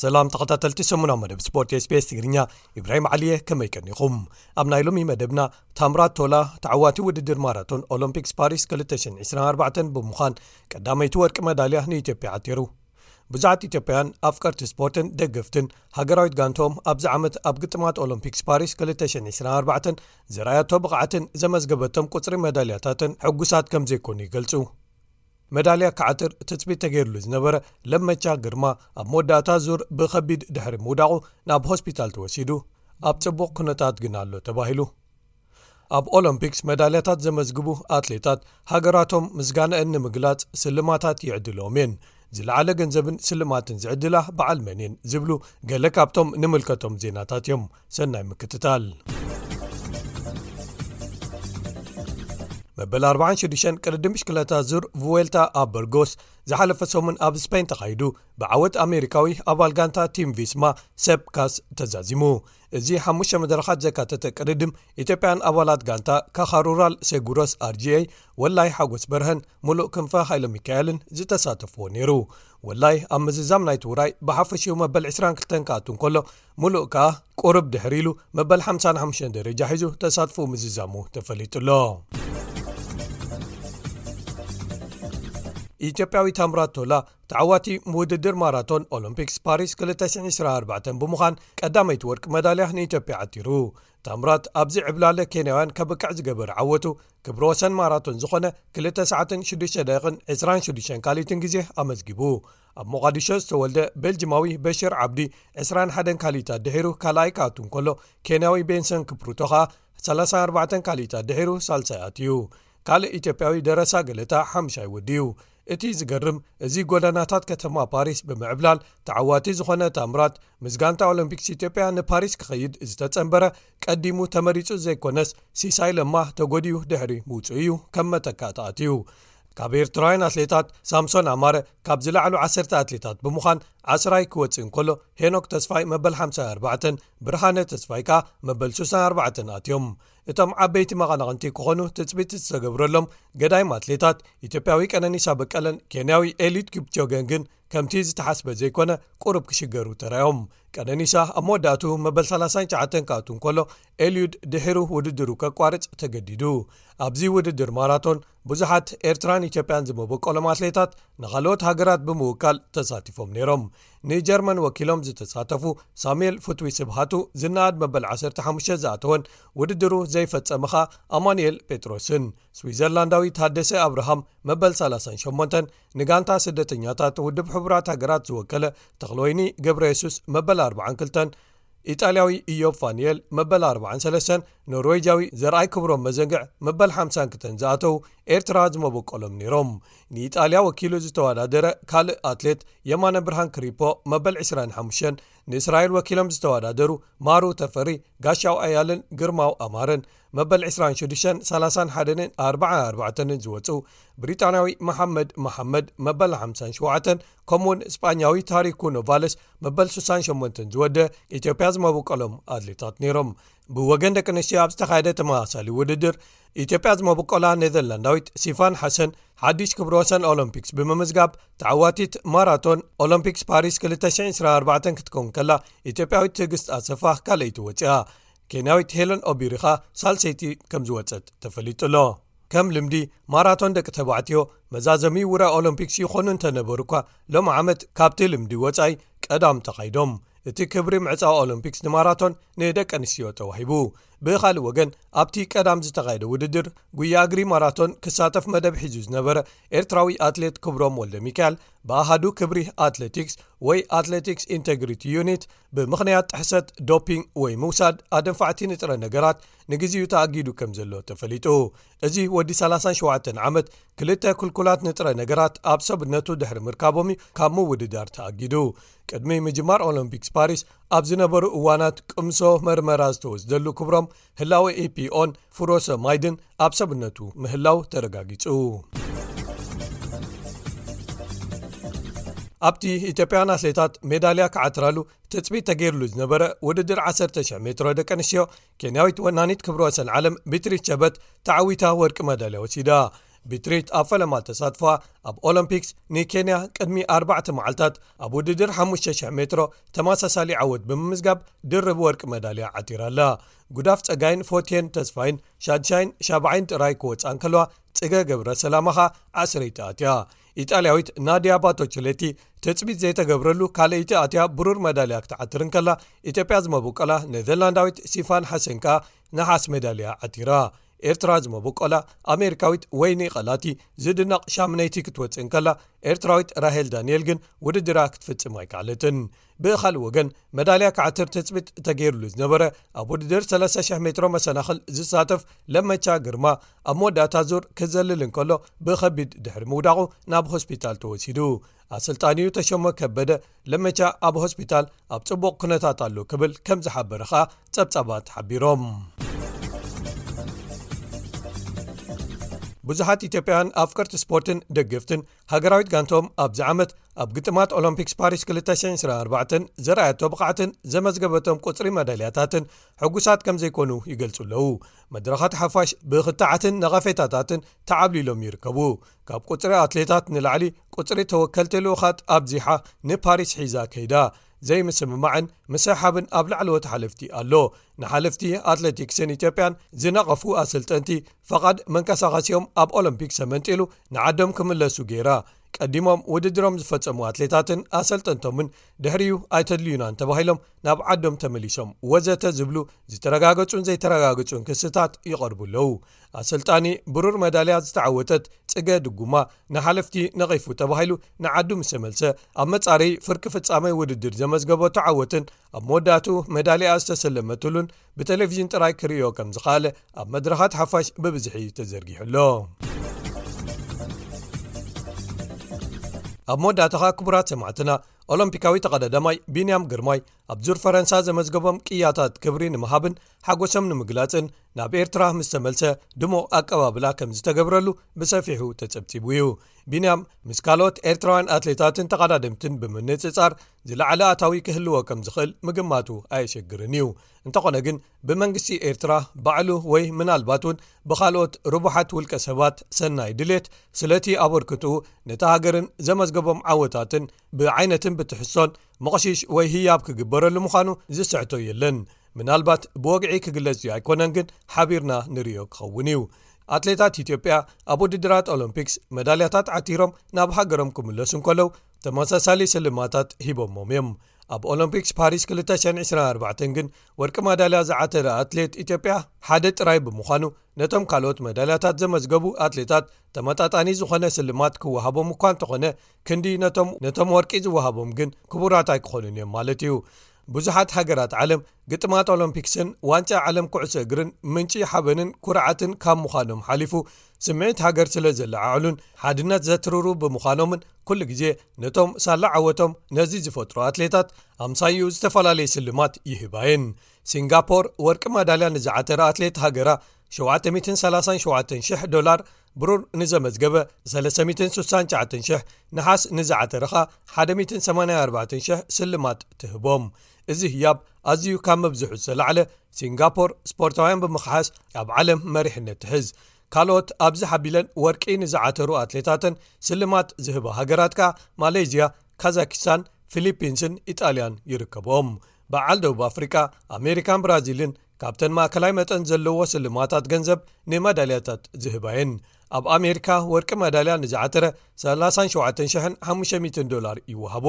ሰላም ተኸታተልቲ ሰሙናዊ መደብ ስፖርት ኤስቢኤስ ትግርኛ፣ ኢብራሂም ዓሊየ፣ ከመይ ቀኒኹም? ኣብ ናይ ሎሚ መደብና፣ ታምራት ቶላ ተዓዋቲ ውድድር ማራቶን ኦሎምፒክስ ፓሪስ ክልተ ሽሕን ዕስራን ኣርባዕተን ብምዃን ቀዳመይቲ ወርቂ መዳልያ ንኢትዮጵያ ዓቲሩ። ብዙሓት ኢትዮጵያውያን ኣፍቀርቲ ስፖርትን ደገፍትን ሃገራዊት ጋንትኦም ኣብዚ ዓመት ኣብ ግጥማት ኦሎምፒክስ ፓሪስ ክልተ ሽሕን ዕስራን ኣርባዕተን ዘርኣያቶ ብቕዓትን ዘመዝገበቶም ቁጽሪ መዳልያታትን ሕጉሳት ከም ዘይኮኑ ይገልጹ። መዳልያ ክዓትር ትጽቢት ተገይሩሉ ዝነበረ ለመቻ ግርማ ኣብ መወዳእታ ዙር ብኸቢድ ድሕሪ ምውዳቑ ናብ ሆስፒታል ተወሲዱ ኣብ ጽቡቕ ኩነታት ግን ኣሎ ተባሂሉ። ኣብ ኦሎምፒክስ መዳልያታት ዘመዝግቡ ኣትሌታት ሃገራቶም ምስጋናኣን ንምግላጽ ስልማታት ይዕድልዎም እየን። ዝለዓለ ገንዘብን ስልማትን ዝዕድላ በዓል መን እየን ዝብሉ ገለ ካብቶም ንምልከቶም ዜናታት እዮም። ሰናይ ምክትታል። መበል ኣርባዓን ሽዱሽተን ቅድድም ብሽክለታ ዙር ቭዌልታ ኣብ በርጎስ ዝሓለፈ ሰሙን ኣብ ስፔን ተኻይዱ ብዓወት ኣሜሪካዊ ኣባል ጋንታ ቲም ቪስማ ሰብ ካስ ተዛዚሙ። እዚ ሓሙሽተ መድረኻት ዘካተተ ቅድድም ኢትዮጵያን ኣባላት ጋንታ ካኻ ሩራል ሴጉሮስ ኣርጂኤ ወላይ ሓጎስ በርሀን ሙሉእ ክንፈ ሃይለ ሚካኤልን ዝተሳተፍዎ ነይሩ። ወላይ ኣብ ምዝዛም ናይቲ ውራይ ብሓፈሽኡ መበል ዕስራን ክልተን ክኣቱ እንከሎ ሙሉእ ከኣ ቁሩብ ድሕሪ ኢሉ መበል ሓምሳን ሓሙሽተን ደረጃ ሒዙ ተሳትፎ ምዝዛሙ ተፈሊጡ ኣሎ። ኢትዮጵያዊ ታምራት ቶላ ተዓዋቲ ውድድር ማራቶን ኦሎምፒክስ ፓሪስ ክልተ ሽሕን ዕስራን ኣርባዕተን ብምዃን ቀዳመይቲ ወርቂ መዳልያ ንኢትዮጵያ ዓቲሩ። ታምራት ኣብዚ ዕብላለ ኬንያውያን ከብቅዕ ዝገበረ ዓወቱ ክብረ ወሰን ማራቶን ዝኾነ ክልተ ሰዓትን ሽዱሽተ ደቂቕን ዕስራን ሽዱሽተን ካልኢትን ግዜ ኣመዝጊቡ። ኣብ ሞቓዲሾ ዝተወልደ ቤልጅማዊ በሽር ዓብዲ ዕስራን ሓደን ካልኢታት ድሒሩ ካልኣይ ክኣቱ እንከሎ፣ ኬንያዊ ቤንሰን ክፕሩቶ ኸኣ ሰላሳን ኣርባዕተን ካልኢታት ድሒሩ ሳልሳይ ኣትዩ። ካልእ ኢትዮጵያዊ ደረሳ ገለታ ሓምሻይ ወድዩ። እቲ ዝገርም፣ እዚ ጎደናታት ከተማ ፓሪስ ብምዕብላል ተዓዋቲ ዝኾነ ታምራት፣ ምስ ጋንታ ኦሎምፒክስ ኢትዮጵያ ንፓሪስ ክኸይድ ዝተጸንበረ፣ ቀዲሙ ተመሪጹ ዘይኮነስ፣ ሲሳይ ለማ ተጎዲኡ ድሕሪ ምውጽኡ እዩ ከም መተካእታ ኣትዩ። ካብ ኤርትራውያን ኣትሌታት፣ ሳምሶን ኣማረ ካብ ዝለዓሉ ዓሰርተ ኣትሌታት ብምዃን ዓስራይ ክወጽእ እንከሎ፣ ሄኖክ ተስፋይ መበል ሓምሳን ኣርባዕተን፣ ብርሃነ ተስፋይ ከኣ መበል ሱሳን ኣርባዕተን ኣትዮም። እቶም ዓበይቲ መቐናቕንቲ ክኾኑ ትጽቢት ዝተገብረሎም ገዳይም ኣትሌታት፣ ኢትዮጵያዊ ቀነኒሳ በቀለን ኬንያዊ ኤሊድ ኪፕቾገን ግን ከምቲ ዝተሓስበ ዘይኮነ፣ ቁሩብ ክሽገሩ ተራዮም። ቀነኒሳ ኣብ መወዳእቱ መበል ሰላሳን ትሽዓተን ክኣቱ እንከሎ፣ ኤልዩድ ድሒሩ ውድድሩ ከቋርጽ ተገዲዱ። ኣብዚ ውድድር ማራቶን ብዙሓት ኤርትራን ኢትዮጵያን ዝመበቆሎም ኣትሌታት ንኻልኦት ሃገራት ብምውካል ተሳቲፎም ነይሮም። ንጀርመን ወኪሎም ዝተሳተፉ ሳሙኤል ፍትዊ ስብሃቱ ዝነኣድ መበል ዓሰርተ ሓሙሽተ ዝኣተወን ውድድሩ ዘይፈጸመ ኸኣ ኣማኑኤል ጴጥሮስን፣ ስዊዘርላንዳዊ ታደሰ ኣብርሃም መበል ሰላሳን ሸሞንተን ንጋንታ ስደተኛታት ውድብ ሕቡራት ሃገራት ዝወከለ ተኽለወይኒ ገብረ የሱስ መበል ኣርባዓን ክልተን ኢጣልያዊ ኢዮብ ፋኒኤል መበል ኣርባዓን ሰለስተን፣ ኖርዌጃዊ ዘርኣይ ክብሮም መዘንግዕ መበል ሓምሳን ክልተን ዝኣተው ኤርትራ ዝመበቆሎም ነይሮም። ንኢጣልያ ወኪሉ ዝተወዳደረ ካልእ ኣትሌት የማነ ብርሃን ክሪፖ መበል ዕስራን ሓሙሽተን፣ ንእስራኤል ወኪሎም ዝተወዳደሩ ማሩ ተፈሪ፣ ጋሻው ኣያልን ግርማው ኣማረን መበል ዕስራን ሽዱሽተን፣ ሰላሳን ሓደን ኣርባዓን ኣርባዕተን ዝወፁ፣ ብሪጣንያዊ መሓመድ መሓመድ መበል ሓምሳን ሸውዓተን፣ ከምኡውን ስጳኛዊ ታሪኩ ኖቫለስ መበል ስሳን ሸሞንተን ዝወደ ኢትዮጵያ ዝመበቆሎም ኣትሌታት ነይሮም። ብወገን ደቂ ኣንስትዮ ኣብ ዝተኻየደ ተመሳሳሊ ውድድር ኢትዮጵያ ዝመበቆላ ኔዘርላንዳዊት ሲፋን ሓሰን ሓድሽ ክብረ ወሰን ኦሎምፒክስ ብምምዝጋብ ተዓዋቲት ማራቶን ኦሎምፒክስ ፓሪስ ክልተ ሽሕን ዕስራን ኣርባዕተን ክትከውን ከላ፣ ኢትዮጵያዊት ትዕግስት ኣሰፋ ካልኣይቲ ወፂኣ። ኬንያዊት ሄለን ኦቢሪኻ ሳልሰይቲ ከም ዝወፀት ተፈሊጡ ኣሎ። ከም ልምዲ ማራቶን ደቂ ተባዕትዮ መዛዘሚ ውራይ ኦሎምፒክስ ይኾኑ እንተነበሩ እኳ፣ ሎም ዓመት ካብቲ ልምዲ ወፃኢ ቀዳም ተኻይዶም። እቲ ክብሪ ምዕፃው ኦሎምፒክስ ንማራቶን ንደቂ ኣንስትዮ ተዋሂቡ። ብኻልእ ወገን ኣብቲ ቀዳም ዝተኻየደ ውድድር ጉያ እግሪ ማራቶን ክሳተፍ መደብ ሒዙ ዝነበረ ኤርትራዊ ኣትሌት ክብሮም ወልደ ሚካኤል ብኣሃዱ ክብሪ ኣትሌቲክስ ወይ ኣትሌቲክስ ኢንቴግሪቲ ዩኒት ብምኽንያት ጥሕሰት ዶፒንግ ወይ ምውሳድ ኣደንፋዕቲ ንጥረ ነገራት ንግዚኡ ተኣጊዱ ከም ዘሎ ተፈሊጡ። እዚ ወዲ ሰላሳን ሸውዓተን ዓመት ክልተ ክልኩላት ንጥረ ነገራት ኣብ ሰብነቱ ድሕሪ ምርካቦም እዩ ካብ ምውድዳር ተኣጊዱ። ቅድሚ ምጅማር ኦሎምፒክስ ፓሪስ ኣብ ዝነበሩ እዋናት ቅምሶ መርመራ ዝተወስደሉ ክብሮም ህላወ ኤፒኦን ፍሮሰማይድን ኣብ ሰብነቱ ምህላው ተረጋጊጹ። ኣብቲ ኢትዮጵያን ኣትሌታት ሜዳልያ ክዓትራሉ ትጽቢት ተገይርሉ ዝነበረ ውድድር ዓሰርተ ሽሕ ሜትሮ ደቂ ኣንስትዮ፣ ኬንያዊት ወናኒት ክብረ ወሰን ዓለም ቢትሪት ቸበት ተዓዊታ ወርቂ መዳልያ ወሲዳ። ቢትሪት ኣብ ፈለማ ተሳትፎ ኣብ ኦሎምፒክስ ንኬንያ ቅድሚ ኣርባዕተ መዓልታት ኣብ ውድድር ሓሙሽተ ሽሕ ሜትሮ ተመሳሳሊ ዓወት ብምምዝጋብ ድርብ ወርቂ መዳልያ ዓቲራ ኣላ። ጉዳፍ ጸጋይን ፎቴን ተስፋይን ሻድሻይን ሻብዓይን ጥራይ ክወጻ እንከለዋ፣ ጽገ ገብረ ሰላማ ኸኣ ዓስረይቲ ኣትያ። ኢጣልያዊት ናድያ ባቶችሌቲ ትጽቢት ዘይተገብረሉ ካልኣይቲ ኣትያ ብሩር መዳልያ ክትዓትር እንከላ፣ ኢትዮጵያ ዝመበቆላ ኔዘርላንዳዊት ሲፋን ሓሰን ከኣ ነሓስ መዳልያ ዓቲራ። ኤርትራ ዝመበቆላ ኣሜሪካዊት ወይኒ ቀላቲ ዝድነቕ ሻምነይቲ ክትወጽእ እንከላ፣ ኤርትራዊት ራሄል ዳንኤል ግን ውድድራ ክትፍጽም ኣይከኣለትን። ብኻልእ ወገን፣ መዳልያ ክዓትር ትጽቢት ተገይሩሉ ዝነበረ ኣብ ውድድር ሰለስተ ሽሕ ሜትሮ መሰናኽል ዝሳተፍ ለመቻ ግርማ፣ ኣብ መወዳእታ ዙር ክዘልል እንከሎ ብኸቢድ ድሕሪ ምውዳቑ ናብ ሆስፒታል ተወሲዱ። ኣሰልጣኒኡ ተሾመ ከበደ፣ ለመቻ ኣብ ሆስፒታል ኣብ ጽቡቕ ኩነታት ኣሎ ክብል ከም ዝሓበረ ኸኣ ጸብጻባት ሓቢሮም። ብዙሓት ኢትዮጵያውያን ኣፍቀርቲ ስፖርትን ደገፍትን ሃገራዊት ጋንቶም ኣብዚ ዓመት ኣብ ግጥማት ኦሎምፒክስ ፓሪስ ክልተ ሽሕን ዕስራን ኣርባዕተን ዘርኣየቶ ብቕዓትን ዘመዝገበቶም ቁጽሪ መዳልያታትን ሕጉሳት ከም ዘይኮኑ ይገልጹ ኣለዉ። መድረኻት ሓፋሽ ብኽትዓትን ነቐፌታታትን ተዓብሊሎም ይርከቡ። ካብ ቁጽሪ ኣትሌታት ንላዕሊ ቁጽሪ ተወከልቲ ልኡኻት ኣብዚሓ ንፓሪስ ሒዛ ከይዳ። ዘይምስምማዕን ምስሕሓብን ኣብ ላዕለዎት ሓለፍቲ ኣሎ። ንሓለፍቲ ኣትሌቲክስን ኢትዮጵያን ዝነቐፉ ኣሰልጠንቲ ፈቓድ መንቀሳቐሲኦም ኣብ ኦሎምፒክ ተመንጢሉ ንዓዶም ክምለሱ ገይራ። ቀዲሞም ውድድሮም ዝፈጸሙ ኣትሌታትን ኣሰልጠንቶምን ድሕሪኡ ኣይተድልዩናን ተባሂሎም ናብ ዓዶም ተመሊሶም ወዘተ ዝብሉ ዝተረጋገጹን ዘይተረጋገጹን ክስታት ይቐርቡ ኣለዉ። ኣሰልጣኒ ብሩር መዳልያ ዝተዓወተት ጽገ ድጉማ ንሓለፍቲ ነቒፉ ተባሂሉ ንዓዱ ምስ ተመልሰ፣ ኣብ መጻረዪ ፍርቂ ፍጻመ ውድድር ዘመዝገበቶ ዓወትን ኣብ መወዳእትኡ መዳልያ ዝተሰለመትሉን ብቴሌቪዥን ጥራይ ክርእዮ ከም ዝኸኣለ ኣብ መድረኻት ሓፋሽ ብብዝሒ ተዘርጊሑ ኣሎ። ኣብ መወዳእታ ኸኣ ክቡራት ሰማዕትና፣ ኦሎምፒካዊ ተቐዳዳማይ ቢንያም ግርማይ ኣብ ዙር ፈረንሳ ዘመዝገቦም ቅያታት ክብሪ ንምሃብን ሓጎሶም ንምግላጽን ናብ ኤርትራ ምስ ተመልሰ ድሙቕ ኣቀባብላ ከም ዝተገብረሉ ብሰፊሑ ተጸብጺቡ እዩ። ቢንያም ምስ ካልኦት ኤርትራውያን ኣትሌታትን ተቐዳደምትን ብምንጽጻር ዝለዓለ ኣታዊ ክህልዎ ከም ዝኽእል ምግማቱ ኣየሸግርን እዩ። እንተኾነ ግን ብመንግስቲ ኤርትራ ባዕሉ ወይ ምናልባት እውን ብኻልኦት ርቡሓት ውልቀ ሰባት ሰናይ ድሌት ስለቲ ኣበርክትኡ ነታ ሃገርን ዘመዝገቦም ዓወታትን ብዓይነትን ብትሕዝቶን መቕሽሽ ወይ ህያብ ክግበረሉ ምዃኑ ዝስሕቶ የለን። ምናልባት ብወግዒ ክግለጽ ድዩ ኣይኮነን ግን ሓቢርና ንርእዮ ክኸውን እዩ። ኣትሌታት ኢትዮጵያ ኣብ ውድድራት ኦሎምፒክስ መዳልያታት ዓቲሮም ናብ ሃገሮም ክምለሱ እንከለዉ ተመሳሳሊ ስልማታት ሂቦሞም እዮም። ኣብ ኦሎምፒክስ ፓሪስ ክልተ ሽሕን ዕስራን ኣርባዕተን ግን ወርቂ መዳልያ ዝዓተረ ኣትሌት ኢትዮጵያ ሓደ ጥራይ ብምዃኑ ነቶም ካልኦት መዳልያታት ዘመዝገቡ ኣትሌታት ተመጣጣኒ ዝኾነ ስልማት ክወሃቦም እኳ እንተኾነ ክንዲ ነቶም ነቶም ወርቂ ዝወሃቦም ግን ክቡራት ኣይክኾኑን እዮም ማለት እዩ። ብዙሓት ሃገራት ዓለም ግጥማት ኦሎምፒክስን ዋንጫ ዓለም ኩዕሶ እግርን ምንጪ ሓበንን ኩርዓትን ካብ ምዃኖም ሓሊፉ፣ ስምዒት ሃገር ስለ ዘለዓዕሉን ሓድነት ዘትርሩ ብምዃኖምን፣ ኩሉ ግዜ ነቶም ሳላ ዓወቶም ነዚ ዝፈጥሩ ኣትሌታት ኣምሳዩ ዝተፈላለየ ስልማት ይህባየን። ሲንጋፖር ወርቂ ማዳልያ ንዝዓተረ ኣትሌት ሃገራ ሸውዓተ ሚእትን ሰላሳን ሸውዓተን ሽሕ ዶላር፣ ብሩር ንዘመዝገበ ሰለስተ ሚእትን ስሳን ትሽዓተን ሽሕ፣ ነሓስ ንዝዓተረኻ ሓደ ሚእትን ሰማንያን ኣርባዕተን ሽሕ ስልማት ትህቦም። እዚ ህያብ ኣዝዩ ካብ መብዝሑ ዝተላዕለ፣ ሲንጋፖር ስፖርታውያን ብምኽሓስ ኣብ ዓለም መሪሕነት ትሕዝ። ካልኦት ኣብዚ ሓቢለን ወርቂ ንዝዓተሩ ኣትሌታትን ስልማት ዝህባ ሃገራት ከኣ ማሌዝያ፣ ካዛኪስታን፣ ፊሊፒንስን ኢጣልያን ይርከብኦም። በዓል ደቡብ ኣፍሪቃ፣ ኣሜሪካን ብራዚልን ካብተን ማእከላይ መጠን ዘለዎ ስልማታት ገንዘብ ንመዳልያታት ዝህባየን። ኣብ ኣሜሪካ ወርቂ መዳልያ ንዝዓተረ ሰላሳን ሸውዓተን ሽሕን ሓሙሽተ ሚእትን ዶላር ይወሃቦ።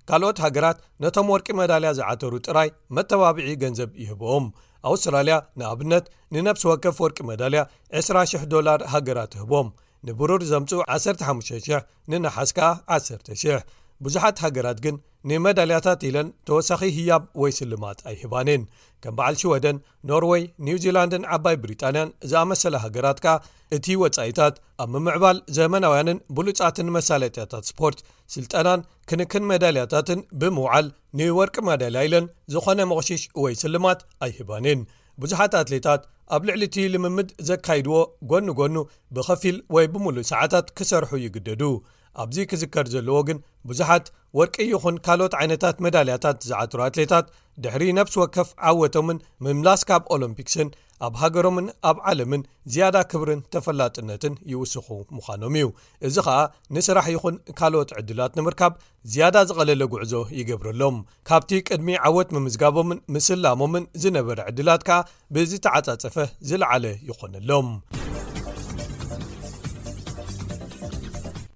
ካልኦት ሃገራት ነቶም ወርቂ መዳልያ ዝዓተሩ ጥራይ መተባብዒ ገንዘብ ይህብኦም። ኣውስትራልያ ንኣብነት ንነፍሲ ወከፍ ወርቂ መዳልያ ዕስራ ሽሕ ዶላር ሃገራ ትህቦም። ንብሩር ዘምጽኡ ዓሰርተ ሓሙሽተ ሽሕ፣ ንነሓስ ከኣ ዓሰርተ ሽሕ። ብዙሓት ሃገራት ግን ንመዳልያታት ኢለን ተወሳኺ ህያብ ወይ ስልማት ኣይህባንን። ከም በዓል ሽወደን፣ ኖርወይ፣ ኒውዚላንድን ዓባይ ብሪጣንያን ዝኣመሰላ ሃገራት ከኣ እቲ ወጻኢታት ኣብ ምምዕባል ዘመናውያንን ብሉጻትን መሳለጥያታት ስፖርት፣ ስልጠናን ክንክን መዳልያታትን ብምውዓል ንወርቂ ማዳልያ ኢለን ዝኾነ መቕሽሽ ወይ ስልማት ኣይህባንን። ብዙሓት ኣትሌታት ኣብ ልዕሊ እቲ ልምምድ ዘካይድዎ ጎኒ ጎኑ ብኸፊል ወይ ብምሉእ ሰዓታት ክሰርሑ ይግደዱ። ኣብዚ ክዝከር ዘለዎ ግን፣ ብዙሓት ወርቂ ይኹን ካልኦት ዓይነታት መዳልያታት ዝዓትሩ ኣትሌታት ድሕሪ ነፍሲ ወከፍ ዓወቶምን ምምላስ ካብ ኦሎምፒክስን ኣብ ሃገሮምን ኣብ ዓለምን ዝያዳ ክብርን ተፈላጥነትን ይውስኹ ምዃኖም እዩ። እዚ ኸኣ ንስራሕ ይኹን ካልኦት ዕድላት ንምርካብ ዝያዳ ዝቐለለ ጉዕዞ ይገብረሎም። ካብቲ ቅድሚ ዓወት ምምዝጋቦምን ምስላሞምን ዝነበረ ዕድላት ከኣ ብዝተዓጻጸፈ ዝለዓለ ይኾነሎም።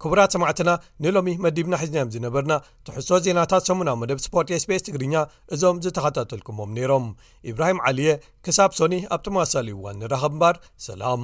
ክቡራት ሰማዕትና፣ ንሎሚ መዲብና ሒዝናዮም ዝነበርና ትሕዝቶ ዜናታት ሰሙናዊ መደብ ስፖርት ኤስቢኤስ ትግርኛ እዞም ዝተኸታተልኩሞም ነይሮም። ኢብራሂም ዓሊየ፣ ክሳብ ሶኒ ኣብ ተመሳሳሊ እዋን ንራኸብ እምበር፣ ሰላም።